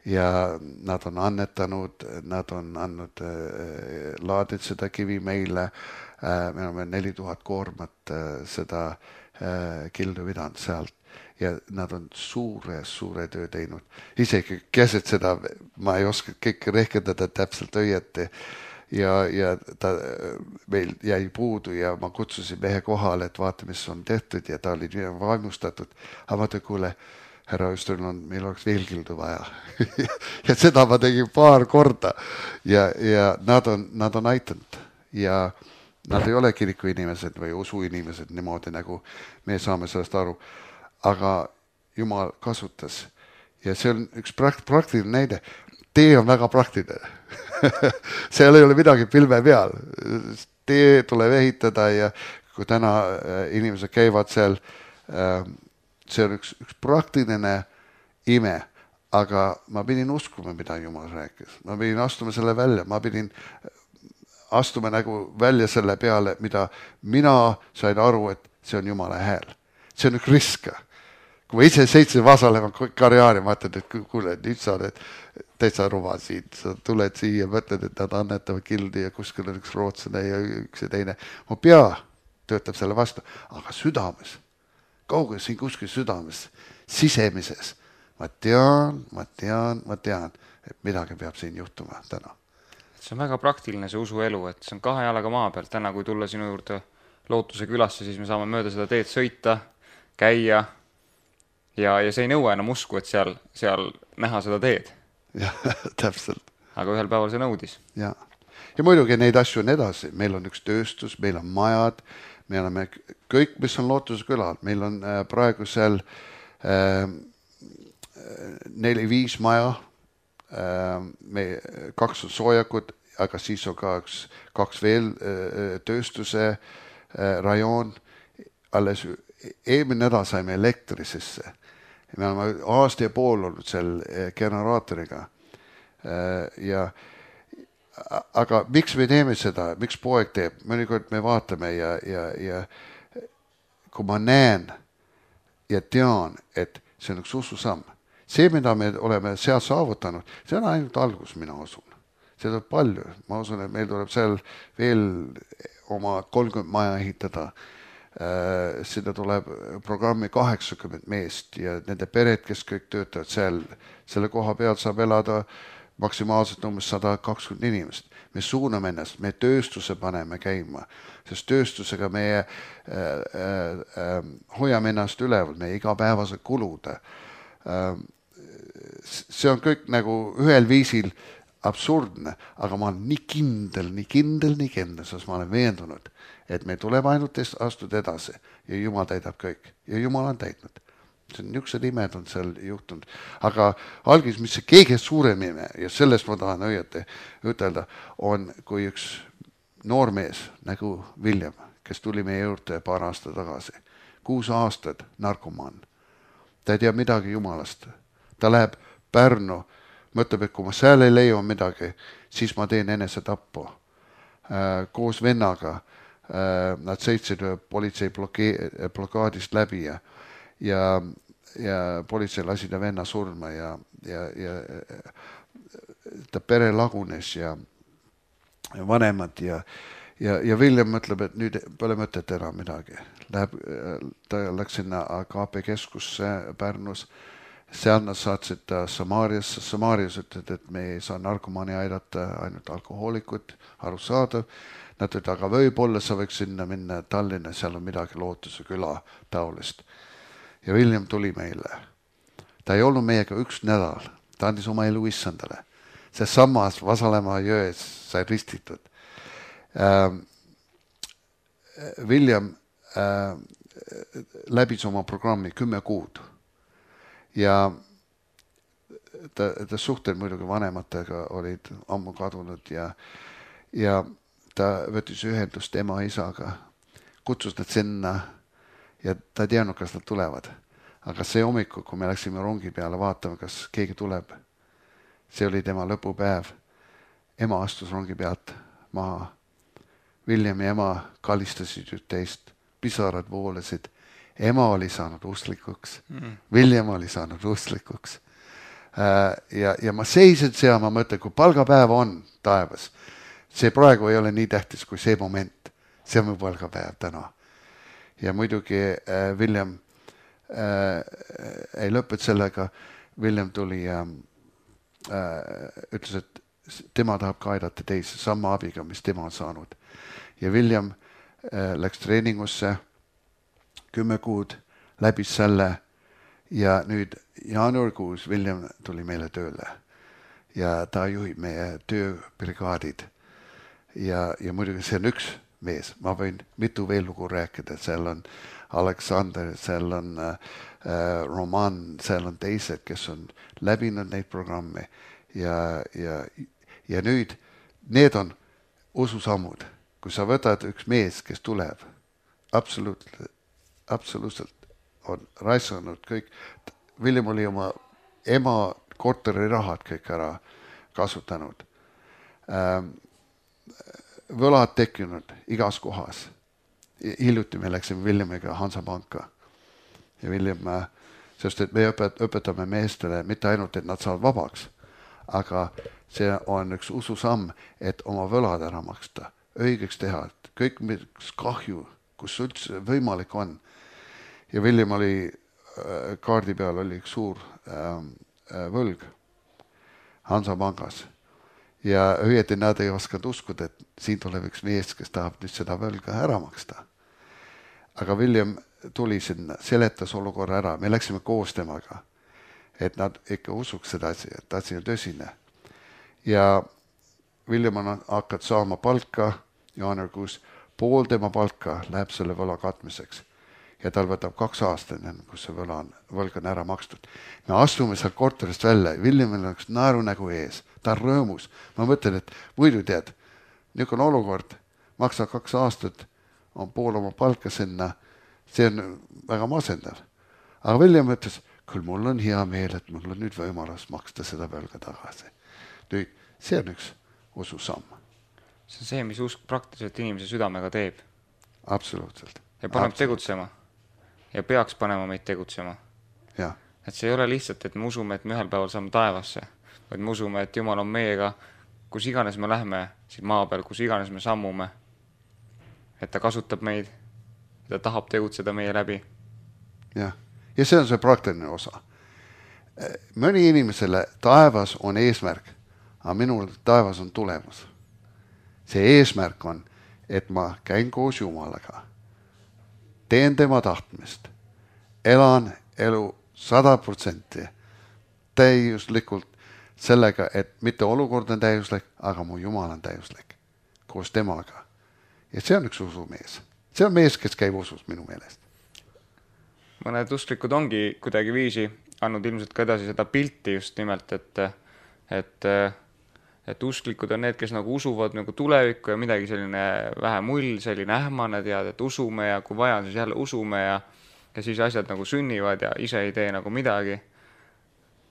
Ja nad on annetanud, nad on andnud laadid seda kivi meile, me oleme 4000 koormat seda kildu vidanud sealt ja nad on suure töö teinud. Isegi keset seda, ma ei oska kõik rehkendada täpselt õieti ja ta meil jäi puudu ja ma kutsusin mehe kohale, et vaata, mis on tehtud ja ta oli vaimustatud. Aga ma ütlen, kuule, härra Österlund, meil oleks veel kildu vaja. Ja seda ma tegin 2 korda ja nad on aitanud ja nad ei ole kiriku inimesed või usu inimesed niimoodi, nagu me saame sellest aru. Aga Jumal kasutas. Ja see on üks praktiline näide. Tee on väga praktiline. Seal ei ole midagi pilve peal. Tee tuleb ehitada ja kui täna inimesed käivad seal, see on üks praktiline ime, aga ma pidin uskuma, mida Jumal rääkis. Ma pidin astuma selle välja, ma pidin astuma nagu välja selle peale, mida mina sain aru, et see on Jumala hääl. See on üks risk. Kui ma ise seitsin vasalema karjaari, ma ütlen, et kuule, nüüd sa oled täitsa ruva siin, sa tuled siia, mõtled, et nad annetavad kildi ja kuskil on üks rootslane ja üks ja teine. Mu pea töötab selle vastu, aga südames, kaugel siin kuskil südames, sisemises, ma tean, et midagi peab siin juhtuma täna.
See on väga praktiline see usuelu, et see on 2 jalaga maa peal. Täna, kui tulla sinu juurde Lootuse külasse, siis me saame mööda seda teed sõita, käia ja see ei nõua enam usku, et seal näha seda teed.
Ja, täpselt.
Aga ühel päeval see nõudis.
Ja muidugi neid asju on edasi. Meil on üks tööstus, meil on majad, me oleme kõik, mis on Lootuse külal. Meil on praegu seal 4-5 maja, 2 on soojakud, aga siis on ka 2 veel tööstuse rajoon. Alles eelmine nädal saime elektri sisse. Me oleme aasta ja pool olnud seal generaatoriga. Aga miks me teeme seda? Miks poeg teeb? Mõnikord me vaatame ja kui ma näen ja tean, et see on üks ususamm. See, mida me oleme seal saavutanud, see on ainult algus, mina usun. See tuleb palju. Ma usun, et meil tuleb seal veel oma 30 maja ehitada. Sinna tuleb programmi 80 meest ja nende pered, kes kõik töötavad seal. Selle koha peal saab elada maksimaalselt umbes 120 inimest. Me suuname ennast, me tööstuse paneme käima, sest tööstusega meie hoiame ennast üleval, meie igapäevased kulud. See on kõik nagu ühel viisil absurdne, aga ma olen nii kindel, sest ma olen veendunud, et me tuleb ainult astuda edasi ja Jumal täidab kõik. Ja Jumal on täidnud. See on niisugused imed on seal juhtunud. Aga algis, mis see kõige suurem ime, ja sellest ma tahan õieti ütelda, on kui üks noormees nagu William, kes tuli meie juurde paar aastat tagasi. 6 aastat narkomaan. Ta ei tea midagi Jumalast. Ta läheb Pärnu, mõtleb, et kui ma seal ei leia midagi, siis ma teen enesetappu. Koos vennaga nad sõitsid politsei blokaadist läbi ja politsei lasi ta venna surma ja ta pere lagunes ja vanemad ja William mõtleb, et nüüd pole mõtet enam midagi. Ta läks sinna KP keskusse Pärnus. Seal nad saatsid ta Samaariasse. Samaarias ütled, et me ei saa narkomaani aidata, ainult alkohoolikut, arusaadav. Nad ütled, aga võib-olla sa võiks sinna minna Tallinna, seal on midagi Lootuse küla taolist. Ja William tuli meile. Ta ei olnud meiega 1 nädal. Ta andis oma elu issandale. See samas Vasalemma jões sai ristitud. William läbis oma programmi 10 kuud. Ja ta suhted muidugi vanematega olid ammu kadunud ja ta võttis ühendust ema isaga, kutsus nad sinna ja ta ei teadnud, kas nad tulevad. Aga see hommikul, kui me läksime rongi peale vaatama, kas keegi tuleb, see oli tema lõpupäev. Ema astus rongi pealt maha. William ja ema kallistasid üht-teist, pisarad voolasid. Ema oli saanud uslikuks. William oli saanud uslikuks. Ja ma seisin seal, ma mõtlen, kui palgapäev on taevas, see praegu ei ole nii tähtis kui see moment. See on mu palgapäev täna. Ja muidugi William ei lõpet sellega. William tuli ja ütles, et tema tahab ka aidata teisi sama abiga, mis tema on saanud. Ja William läks treeningusse 10 kuud, läbis selle ja nüüd jaanuarikuus William tuli meile tööle ja ta juhib meie tööbrigaadid ja muidugi see on üks mees, ma võin mitu veel lugu rääkida, seal on Aleksander, seal on Roman, seal on teised, kes on läbinud neid programme ja nüüd need on ususammud. Kui sa võtad üks mees, kes tuleb, absoluutselt on raisanud kõik. William oli oma ema korteri rahad kõik ära kasutanud. Võlad tekkinud igas kohas. Hiljuti me läksime Williamiga Hansapanka ja William, sest et me õpetame meestele mitte ainult, et nad saavad vabaks, aga see on üks ususamm, et oma võlad ära maksta, õigeks teha, kõik mis kahju, kus üldse võimalik on. Ja William oli kaardi peal oli üks suur võlg Hansapangas ja õieti nad ei oskanud uskuda, et siin tuleb üks mees, kes tahab nüüd seda võlga ära maksta. Aga William tuli sinna, seletas olukorra ära, me läksime koos temaga, et nad ikka usuks seda asi, et asi on tõsine. Ja William on hakanud saama palka jaanuarikuus, pool tema palka läheb selle võla katmiseks. Ja tal võtab 2 aastat, kus see võlg on ära makstud. Me astume seal korterist välja, Williamil on üks naerunägu ees, ta on rõõmus. Ma mõtlen, et muidu tead, niisugune olukord, maksa 2 aastat, on pool oma palka sinna, see on väga masendav. Aga William ütles, küll mul on hea meel, et mul on nüüd võimalus maksta seda võlga tagasi. Nüüd, see on üks ususamm.
See on see, mis usk praktiliselt inimese südamega teeb.
Absoluutselt.
Ja paneb tegutsema. Ja peaks panema meid tegutsema.
Ja.
Et see ei ole lihtsalt, et me usume, et me ühel päeval saame taevasse, vaid me usume, et Jumal on meiega, kus iganes me lähme siin maa peal, kus iganes me sammume, et ta kasutab meid, ta tahab tegutseda meie läbi.
Ja see on see praktiline osa. Mõni inimesele taevas on eesmärk, aga minul taevas on tulemus. See eesmärk on, et ma käin koos Jumalaga, teen tema tahtmist, elan elu 100% täiuslikult sellega, et mitte olukord on täiuslik, aga mu Jumal on täiuslik koos temaga. Ja see on üks usumees. See on mees, kes käib usus minu meelest.
Mõned usklikud ongi kuidagi viisi andnud ilmselt ka edasi seda pilti just nimelt, et usklikud on need, kes nagu usuvad nagu tulevikku ja midagi selline vähe mull, selline ähmane tead, et usume ja kui vaja on, siis jälle usume ja siis asjad nagu sünnivad ja ise ei tee nagu midagi.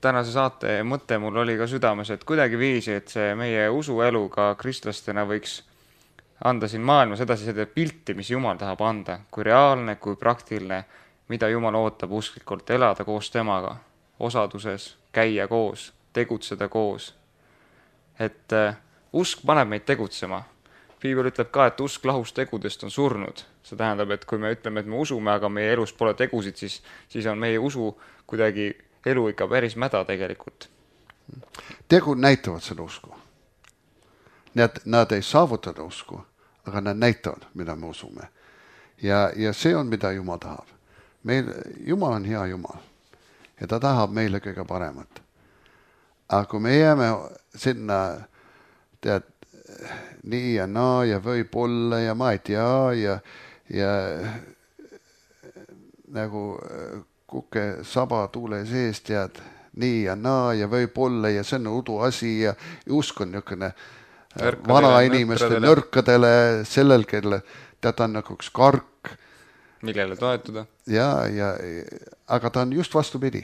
Tänase saate mõte mul oli ka südames, et kuidagi viisi, et see meie usuelu ka kristlastena võiks anda siin maailmas edasi seda pilti, mis Jumal tahab anda, kui reaalne, kui praktiline, mida Jumal ootab usklikult elada koos temaga, osaduses, käia koos, tegutseda koos. Et usk paneb meid tegutsema. Piibel ütleb ka, et usk lahus tegudest on surnud. See tähendab, et kui me ütleme, et me usume, aga meie elus pole tegusid, siis on meie usu kuidagi elu ikka päris mäda tegelikult.
Tegud näitavad seda usku. Nad ei saavutada usku, aga nad näitavad, mida me usume. Ja see on, mida Jumal tahab. Jumal on hea Jumal ja ta tahab meile kõige paremat. Aga kui me jääme sinna, tead, nii ja naa ja võib-olla ja ma ei tea ja nagu kuke saba tuule sees, tead, nii ja naa ja võib-olla ja see on udu asi ja usk on niisugune vana inimeste nõrkadele, sellel, kelle tead on nagu üks kark.
Millele toetuda.
Aga ta on just vastupidi.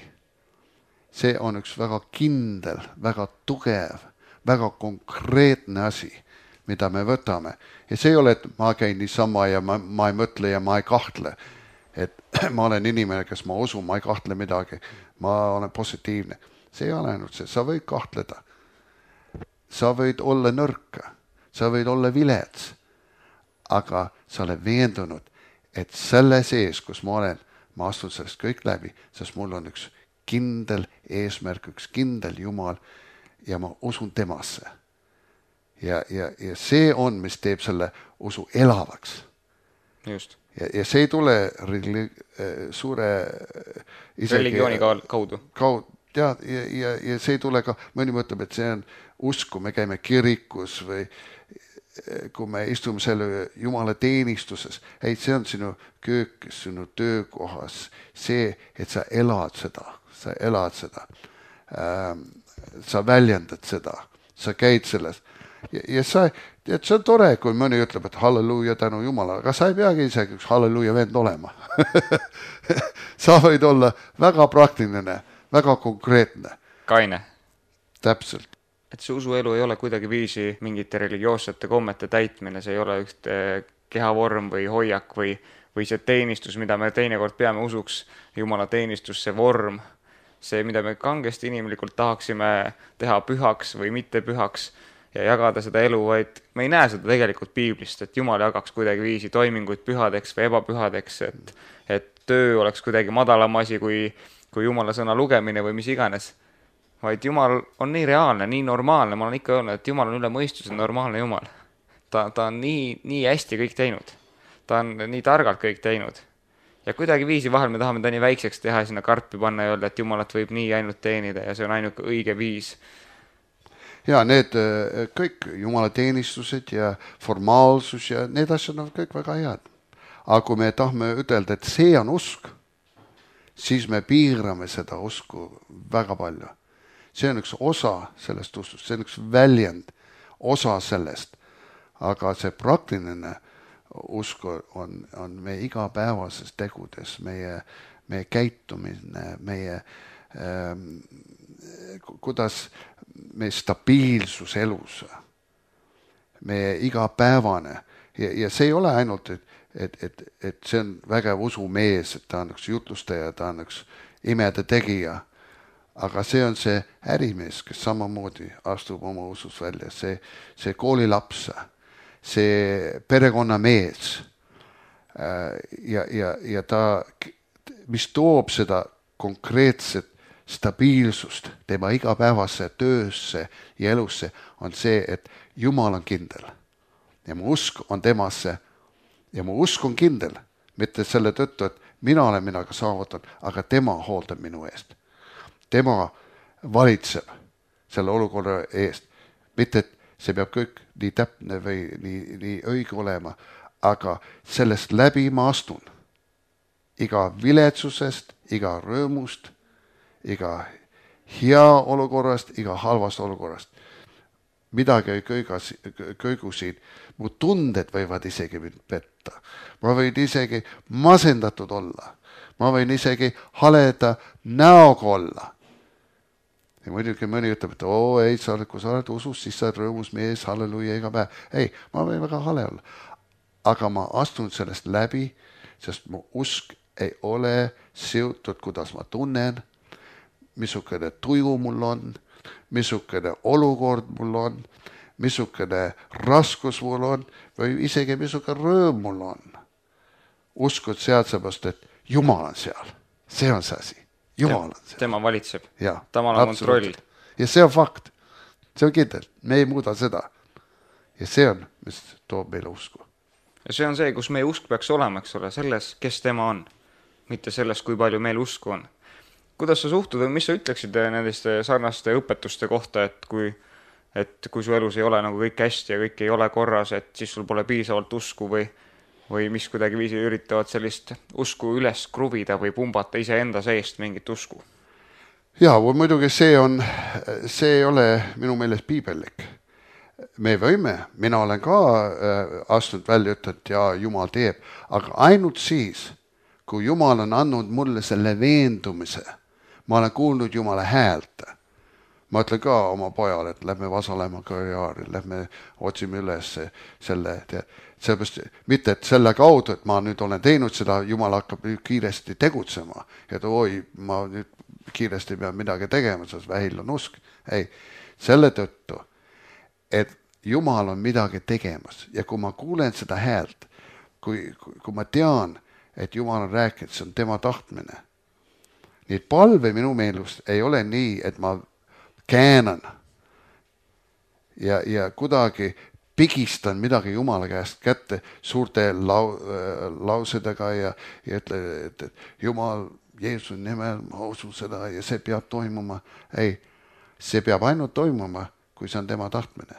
See on üks väga kindel, väga tugev, väga konkreetne asi, mida me võtame. Ja see ei ole, et ma käin niisama ja ma ei mõtle ja ma ei kahtle. Et ma olen inimene, kes ma usun, ma ei kahtle midagi. Ma olen positiivne. See ei ole ainult see. Sa võid kahtleda. Sa võid olla nõrka. Sa võid olla vilets. Aga sa oled veendunud, et selle sees, kus ma olen, ma astun sellest kõik läbi, sest mul on üks kindel eesmärk, üks kindel Jumal ja ma usun temasse. Ja see on, mis teeb selle usu elavaks.
Just.
Ja see ei tule suure
religiooni kaudu.
Ja see ei tule ka, mõni mõtleb, et see on usku, me käime kirikus või kui me istume selle Jumala teenistuses, ei, see on sinu köökis, sinu töökohas, see, et sa elad seda, sa väljendad seda, sa käid selles ja sa, et see on tore, kui mõni ütleb, et halleluuja tänu Jumala, aga sa ei peagi isegi üks halleluuja vend olema. Sa võid olla väga praktiline, väga konkreetne.
Kaine.
Täpselt.
Et see usuelu ei ole kuidagi viisi mingite religioossete kommete täitmine, see ei ole üks kehavorm või hoiak või see teenistus, mida me teinekord peame usuks, Jumala teenistus, see vorm, see, mida me kangesti inimlikult tahaksime teha pühaks või mitte pühaks ja jagada seda elu, vaid me ei näe seda tegelikult piiblist, et Jumal jagaks kuidagi viisi toiminguid pühadeks või ebapühadeks, et töö oleks kuidagi madalam asi kui Jumala sõna lugemine või mis iganes. Vaid Jumal on nii reaalne, nii normaalne, ma olen ikka öelnud, et Jumal on üle mõistuse normaalne Jumal. Ta on nii hästi kõik teinud. Ta on nii targalt kõik teinud. Ja kuidagi viisi vahel me tahame ta nii väikseks teha ja sinna karpi panna ja öelda, et Jumalat võib nii ainult teenida ja see on ainult õige viis.
Ja need kõik Jumala teenistused ja formaalsus ja need asjad on kõik väga head. Aga kui me tahame ütelda, et see on usk, siis me piirame seda usku väga palju. See on üks osa sellest uskust, see on üks väljend, osa sellest. Aga see praktiline usk on meie igapäevases tegudes, meie käitumine, meie kuidas meie stabiilsus elus, meie igapäevane. Ja see ei ole ainult, et see on vägev usumees, et ta on üks jutlustaja, ta on üks imede tegija. Aga see on see ärimees, kes samamoodi astub oma usus välja, see koolilaps, see perekonnamees ja ta, mis toob seda konkreetset stabiilsust tema igapäevasse töösse ja elusse, on see, et Jumal on kindel ja mu usk on temasse ja mu usk on kindel, mitte selle tõttu, et mina olen minaga saavutanud, aga tema hooldab minu eest. Tema valitseb selle olukorra eest. Mitte, et see peab kõik nii täpne või nii õige olema, aga sellest läbi ma astun. Iga viletsusest, iga rõõmust, iga hea olukorrast, iga halvast olukorrast. Midagi ei kõigu siin. Mu tunded võivad isegi mind petta. Ma võin isegi masendatud olla. Ma võin isegi haleda näoga olla. Ja muidugi mõni ütleb, et ei, kui sa oled usus, siis sa oled rõõmus mees, halleluja iga päev. Ei, ma võin väga hale olla. Aga ma astun sellest läbi, sest mu usk ei ole seotud, kuidas ma tunnen, missugune tuju mul on, missugune olukord mul on, missugune raskus mul on või isegi missugune rõõm mul on. Uskud sealt sebast, et Jumal on seal. See on see asi. Jumal on seal.
Tema valitseb.
Ja,
Tamal on kontroll.
Ja see on fakt. See on kindel. Me ei muuda seda. Ja see on, mis toob meile usku.
Ja see on see, kus meie usk peaks olema, eks ole, selles, kes tema on. Mitte selles, kui palju meil usku on. Kuidas sa suhtud või mis sa ütleksid nendeste sarnaste õpetuste kohta, et kui su elus ei ole nagu kõik hästi ja kõik ei ole korras, et siis sul pole piisavalt usku või mis kuidagi viisi üritavad sellist usku üles kruvida või pumbata iseenda seest mingit usku?
Jaa, muidugi see ei ole minu meelest piibellik. Me võime, mina olen ka astunud välja, et ja Jumal teeb, aga ainult siis, kui Jumal on andnud mulle selle veendumise, ma olen kuulnud Jumala häält. Ma ütlen ka oma pojale, et lähme Vasalemma karjaari, lähme otsime üles selle, sellepärast mitte, et selle kaudu, et ma nüüd olen teinud seda, Jumal hakkab kiiresti tegutsema, et ma nüüd kiiresti pean midagi tegema, sest vähil on usk. Ei, selle tõttu, et Jumal on midagi tegemas ja kui ma kuulen seda häält, kui ma tean, et Jumal on rääkinud, see on tema tahtmine. Nii et palve minu meelust ei ole nii, et ma käänan ja kuidagi pigistan midagi Jumala käest kätte suurte lausedega ja ütle, et Jumal, Jeesuse nimel, ma usun seda ja see peab toimuma. Ei, see peab ainult toimuma, kui see on tema tahtmine.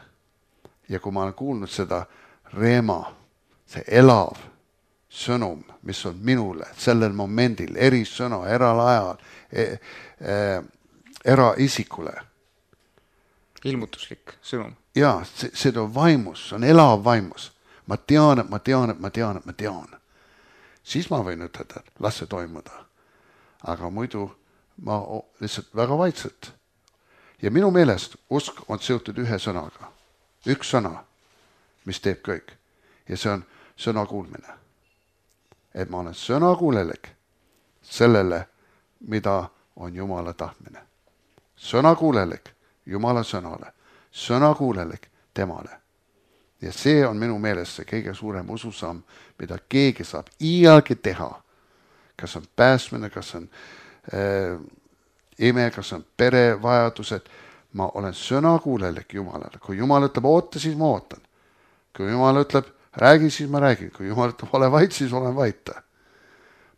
ja kui ma olen kuulnud seda reema, see elav sõnum, mis on minule sellel momendil, erisõna, eralajal, eraisikule.
Ilmutuslik sõnum.
Jaa, see on vaimus, see on elav vaimus. Ma tean. Siis ma võin ütelda, et las see toimuda. Aga muidu ma lihtsalt väga vaikselt. Ja minu meelest usk on seotud ühe sõnaga. Üks sõna, mis teeb kõik. Ja see on sõna kuulmine. Et ma olen sõnakuulelik sellele, mida on Jumala tahtmine. Sõnakuulelik Jumala sõnale. Sõnakuulelik temale. Ja see on minu meelest see kõige suurem ususamm, mida keegi saab iialgi teha. Kas on pääsmine, kas on ime, kas on perevajadused. Ma olen sõnakuulelik Jumalale. Kui Jumal ütleb oota, siis ma ootan. Kui Jumal ütleb räägi, siis ma räägin. Kui Jumal ütleb ole vait, siis olen vaita.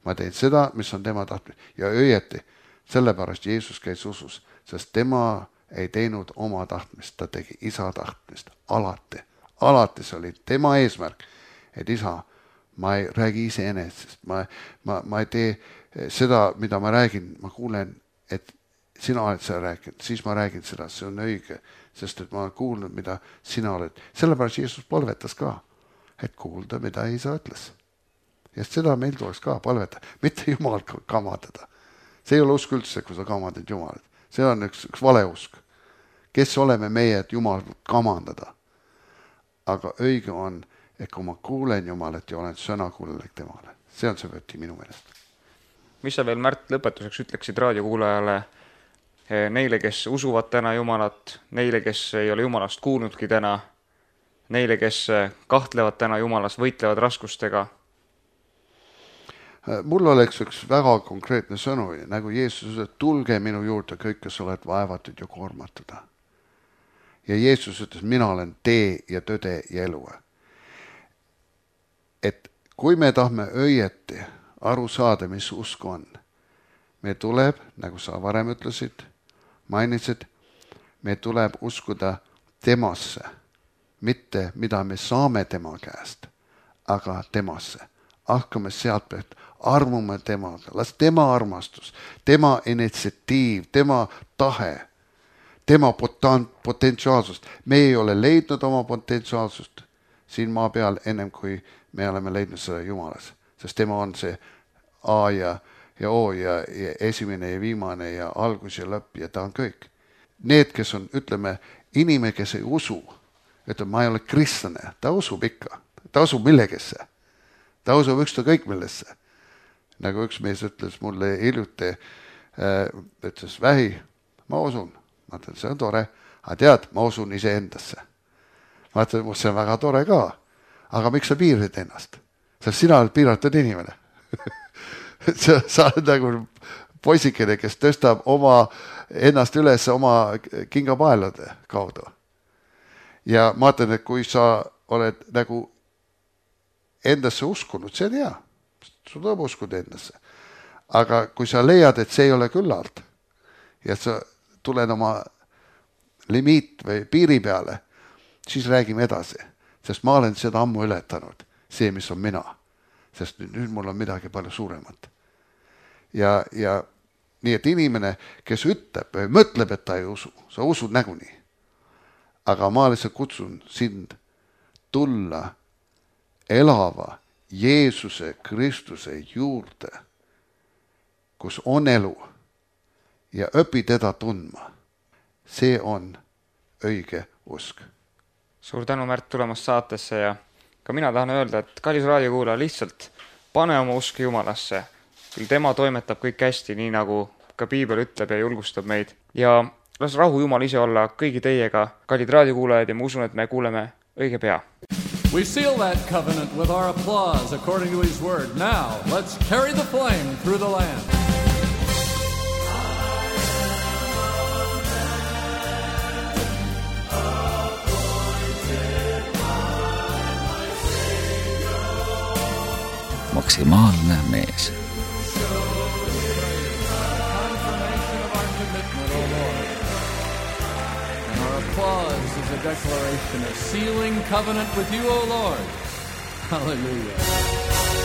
Ma teen seda, mis on tema tahtmine. Ja õieti, sellepärast Jeesus käis usus, sest tema ei teinud oma tahtmist, ta tegi isa tahtmist. Alati. Alati see oli tema eesmärk, et isa, ma ei räägi ise enesest. Ma ei tee seda, mida ma räägin. Ma kuulen, et sina oled seda rääkinud, siis ma räägin seda, see on õige, sest et ma olen kuulnud, mida sina oled. Sellepärast Jeesus palvetas ka, et kuulda, mida isa ütles. Ja seda meil tuleks ka palveta, mitte Jumal kamandada. See ei ole usk üldse, kui sa kamandad Jumalat. See on üks valeusk. Kes oleme meie, et Jumal kamandada? Aga õige on, et kui ma kuulen Jumalat ja olen sõnakuulelik temale. See on see võti minu meelest.
Mis sa veel, Märt, lõpetuseks ütleksid raadiokuulajale, neile, kes usuvad täna Jumalat, neile, kes ei ole Jumalast kuulnudki täna, neile, kes kahtlevad täna Jumalas, võitlevad raskustega?
Mul oleks üks väga konkreetne sõnu, nagu Jeesus ütles, tulge minu juurde kõik, kes oled vaevatud ja koormatud. Ja Jeesus ütles, mina olen tee ja tõde ja elu. Et kui me tahme õieti aru saada, mis usk on, me tuleb, nagu sa varem ütlesid, mainisid, me tuleb uskuda temasse, mitte mida me saame tema käest, aga temasse. Hakkame sealt pealt, armume temaga, las tema armastus, tema initsiatiiv, tema tahe, tema potentsiaalsust. Me ei ole leidnud oma potentsiaalsust siin maa peal ennem, kui me oleme leidnud seda Jumalas. Sest tema on see A ja O ja esimene ja viimane ja algus ja lõpp ja ta on kõik. Need, kes on, ütleme, inimene, kes ei usu, ütleme, ma ei ole kristlane, ta usub ikka, ta usub millegesse. Ta usub üksta kõik millesse. Nagu üks mees ütles mulle hiljuti, ütles vähi, ma usun. Ma ütlen, see on tore, aga tead, ma usun ise endasse. Ma ütlen, see on väga tore ka, aga miks sa piirid ennast? Sest sina oled piiratud inimene. Sa oled nagu poisikene, kes tõstab ennast üles oma kingapaelade kaudu. Ja ma ütlen, et kui sa oled nagu endasse uskunud, see on hea. Sul tuleb uskuda endasse. Aga kui sa leiad, et see ei ole küllalt ja sa tuled oma limiit või piiri peale, siis räägime edasi. Sest ma olen seda ammu ületanud, see, mis on mina. Sest nüüd mul on midagi palju suuremat. Ja nii, et inimene, kes ütleb või mõtleb, et ta ei usu, sa usud näguni. Aga ma lihtsalt kutsun sind tulla elava Jeesuse Kristuse juurde, kus on elu ja õpi teda tundma. See on õige usk.
Suur tänu, Märt, tulemast saatesse ja ka mina tahan öelda, et kallis raadiokuulaja, lihtsalt pane oma usk Jumalasse. Küll tema toimetab kõik hästi, nii nagu ka Piibel ütleb ja julgustab meid. Ja las rahu Jumal ise olla kõigi teiega, kallid raadiokuulajad, ja ma usun, et me kuuleme õige pea.
We seal that covenant with our applause according to his word. Now, let's carry the flame through the land.
Maksimaalne mees.
Confirmation of our commitment, O Lord. And our applause is is a declaration, a sealing covenant with you, O Lord. Hallelujah.